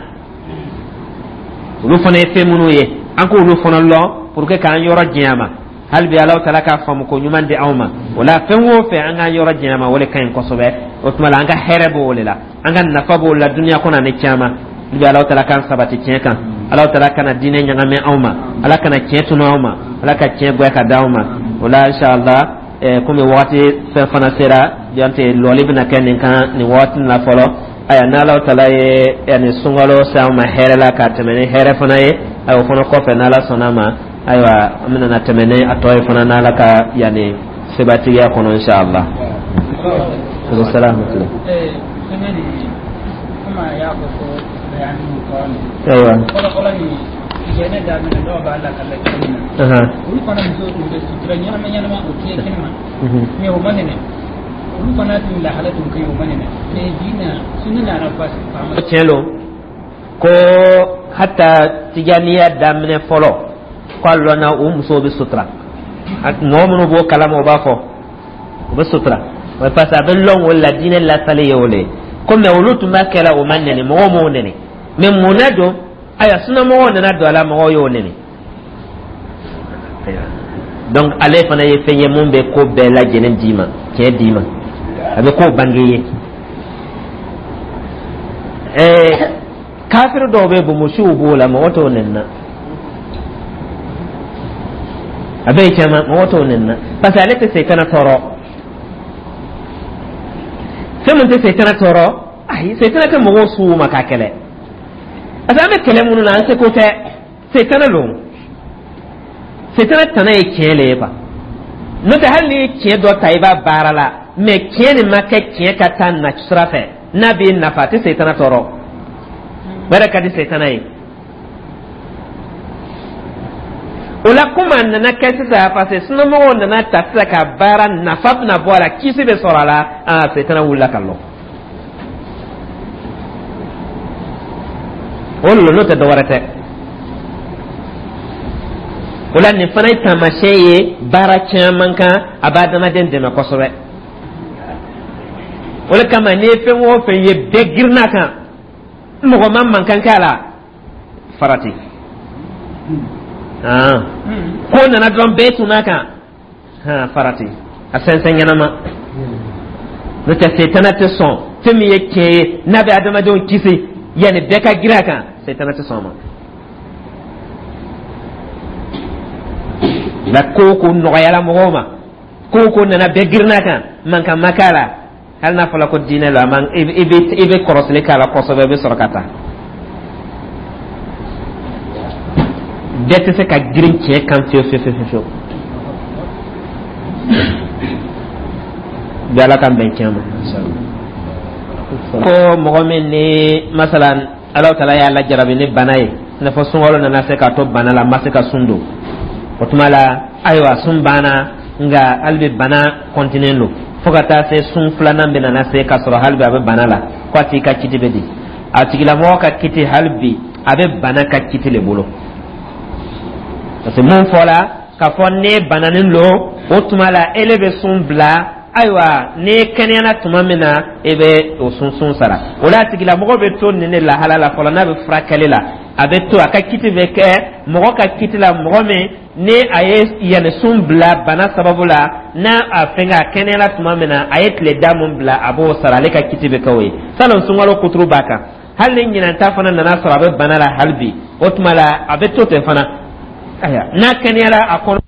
olu fana ye fɛn minnu ye, an k'olu fana lɔn pour que k'an yɔrɔ janya ma. Hali bi, Alahu taala k'a faamu ko ɲuman di anw ma. O la, fɛn o fɛn, an k'an yɔrɔ janya ma, o de ka ɲi kosɛbɛ. O tuma la, an ka hɛrɛ b'o de la, an ka nafa b'o la duniya kɔnɔ ani caman. Hali bi, Alahu taala k'an sabati tiɲɛ kan. Alahu taala kana diinɛ ɲagami anw ma. Ala kana tiɲɛ tunu anw ma. Ala ka tiɲɛ gwɛ ka d'anw ma. O la, inshallah, komi wagati fɛn fana sera jante, lɔli bɛna kɛ nin kan nin wagati la fɔlɔ. Aya, n'Ala taala ye yani sunkalo se an ma hɛrɛ la ka tɛmɛ ni hɛrɛ fana ye, ayiwa, o fana kɔfɛ, n'Ala sɔnna ma, ayiwa, an bɛna na tɛmɛ ni a tɔ ye fana, n'Ala ka yani sebatigiya kɔnɔ, inshallah. Salaam. Ayiwa. Jɛnɛ daminɛ dɔw b'a lakala cogo min na, olu fana musow tun bɛ sutura ɲɛnama ɲɛnama, o tɛ kɛnɛma, mɛ o ma nɛnɛ. Olu fana tun lahala tun ka ɲi, o ma nɛnɛ, mɛ bi na sunni nana faama. Tiɲɛ lo ko hata tijaniya daminɛ fɔlɔ ko a lɔnna u musow bɛ sutura. Mɔgɔ minnu b'o kalama, o b'a fɔ u bɛ sutura, parce que a bɛ lɔn o la, diinɛ lasali ye o le ye ko. Mɛ olu tun b'a kɛla, o ma nɛni, mɔgɔw m'o nɛni. Mɛ mun na don? Ayiwa, sunamɔgɔw nana don a la, mɔgɔw y'o nɛni. Donc ale fana ye fɛn ye mun bɛ ko bɛɛ lajɛlen d'i ma, tiɲɛ d'i ma, a bɛ ko bange ye. Ɛɛ, kafiri dɔw bɛ bonbonsiw b'o la, mɔgɔ t'o nɛni na. A bɛ yen caman, mɔgɔ t'o nɛni na, parce que ale tɛ setana tɔɔrɔ. Fɛn min tɛ setana tɔɔrɔ, ayi, setana tɛ mɔgɔw su ma k'a kɛlɛ, parce que an bɛ kɛlɛ minnu na, an seko tɛ, setana don. Setana tana ye tiɲɛ le ye quoi. N'o tɛ, hali n'i ye tiɲɛ dɔ ta i b'a baara la, mɛ tiɲɛ nin ma kɛ tiɲɛ ka taa na sira fɛ, n'a b'i nafa, a tɛ setana tɔɔrɔ. O yɛrɛ ka di setana ye. O la, komi a nana kɛ sisan, parce que sunamɔgɔw nana ta sisan ka baara, nafa bɛna bɔ a la, kisi bɛ sɔrɔ a la, aa, setana wulila ka lɔ o lɔ. N'o tɛ, dɔwɛrɛ tɛ. O la, nin fana ye taamasiyɛn ye baara caman kan, a bɛ adamaden dɛmɛ kosɛbɛ. O de kama, n'i ye fɛn o fɛn ye bɛɛ girinna kan, mɔgɔ ma mankan kɛ a la, farati ko nana dɔrɔn, bɛɛ tunna kan, farati a sɛnsɛn ɲɛnama. N'o tɛ, setana tɛ sɔn fɛn min ye tiɲɛ ye, n'a bɛ adamadenw kisi, yanni bɛɛ ka girin a kan, setana tɛ sɔn a ma. La ko o ko nɔgɔyala mɔgɔw ma, ko o ko nana, bɛɛ girinna kan, mankan ma k'a la. Hali n'a fɔra ko diinɛ la, man, i bɛ i bɛ kɔrɔsili k'a la kosɛbɛ, i bɛ sɔrɔ ka taa. Bɛɛ tɛ se ka girin tiɲɛ kan fiyewu fiyewu fiyewu fiyewu. Bi Ala k'an bɛn tiɲɛ ma. Ko mɔgɔ min ni masalan Alahu Taala y'a lajarabi ni bana ye, i n'a fɔ sunkalo nana se k'a to bana la, ma se ka sun don, o tuma la, ayiwa, sun banna, nka hali bi bana kɔntinen don fo ka taa se sun filanan bɛ nana se k'a sɔrɔ hali bi a bɛ bana la, ko a tigi ka kiti bɛ di? A tigilamɔgɔ ka kiti, hali bi a bɛ bana ka kiti le bolo, parce que mun fɔla k'a fɔ ne bananen don, o tuma la ele bɛ sun bila. Ayiwa, n'i kɛnɛyana tuma min na, e bɛ o sun sun sara. O la, a tigilamɔgɔ bɛ to nin de lahala la fɔlɔ. N'a bɛ furakɛli la, a bɛ to a ka kiti bɛ kɛ mɔgɔ ka kiti la, mɔgɔ min ni a ye yanni sun bila bana sababu la, n'a a fɛnkɛ, a kɛnɛyala tuma min na, a ye tile da mun bila, a b'o sara. Ale ka kiti bɛ kɛ o ye. Salon sunkalo kuturu b'a kan, hali ni ɲinan ta fana nana sɔrɔ a bɛ bana la hali bi, o tuma la a bɛ to ten fana. Ayiwa, n'a kɛnɛyala a kɔnɔ.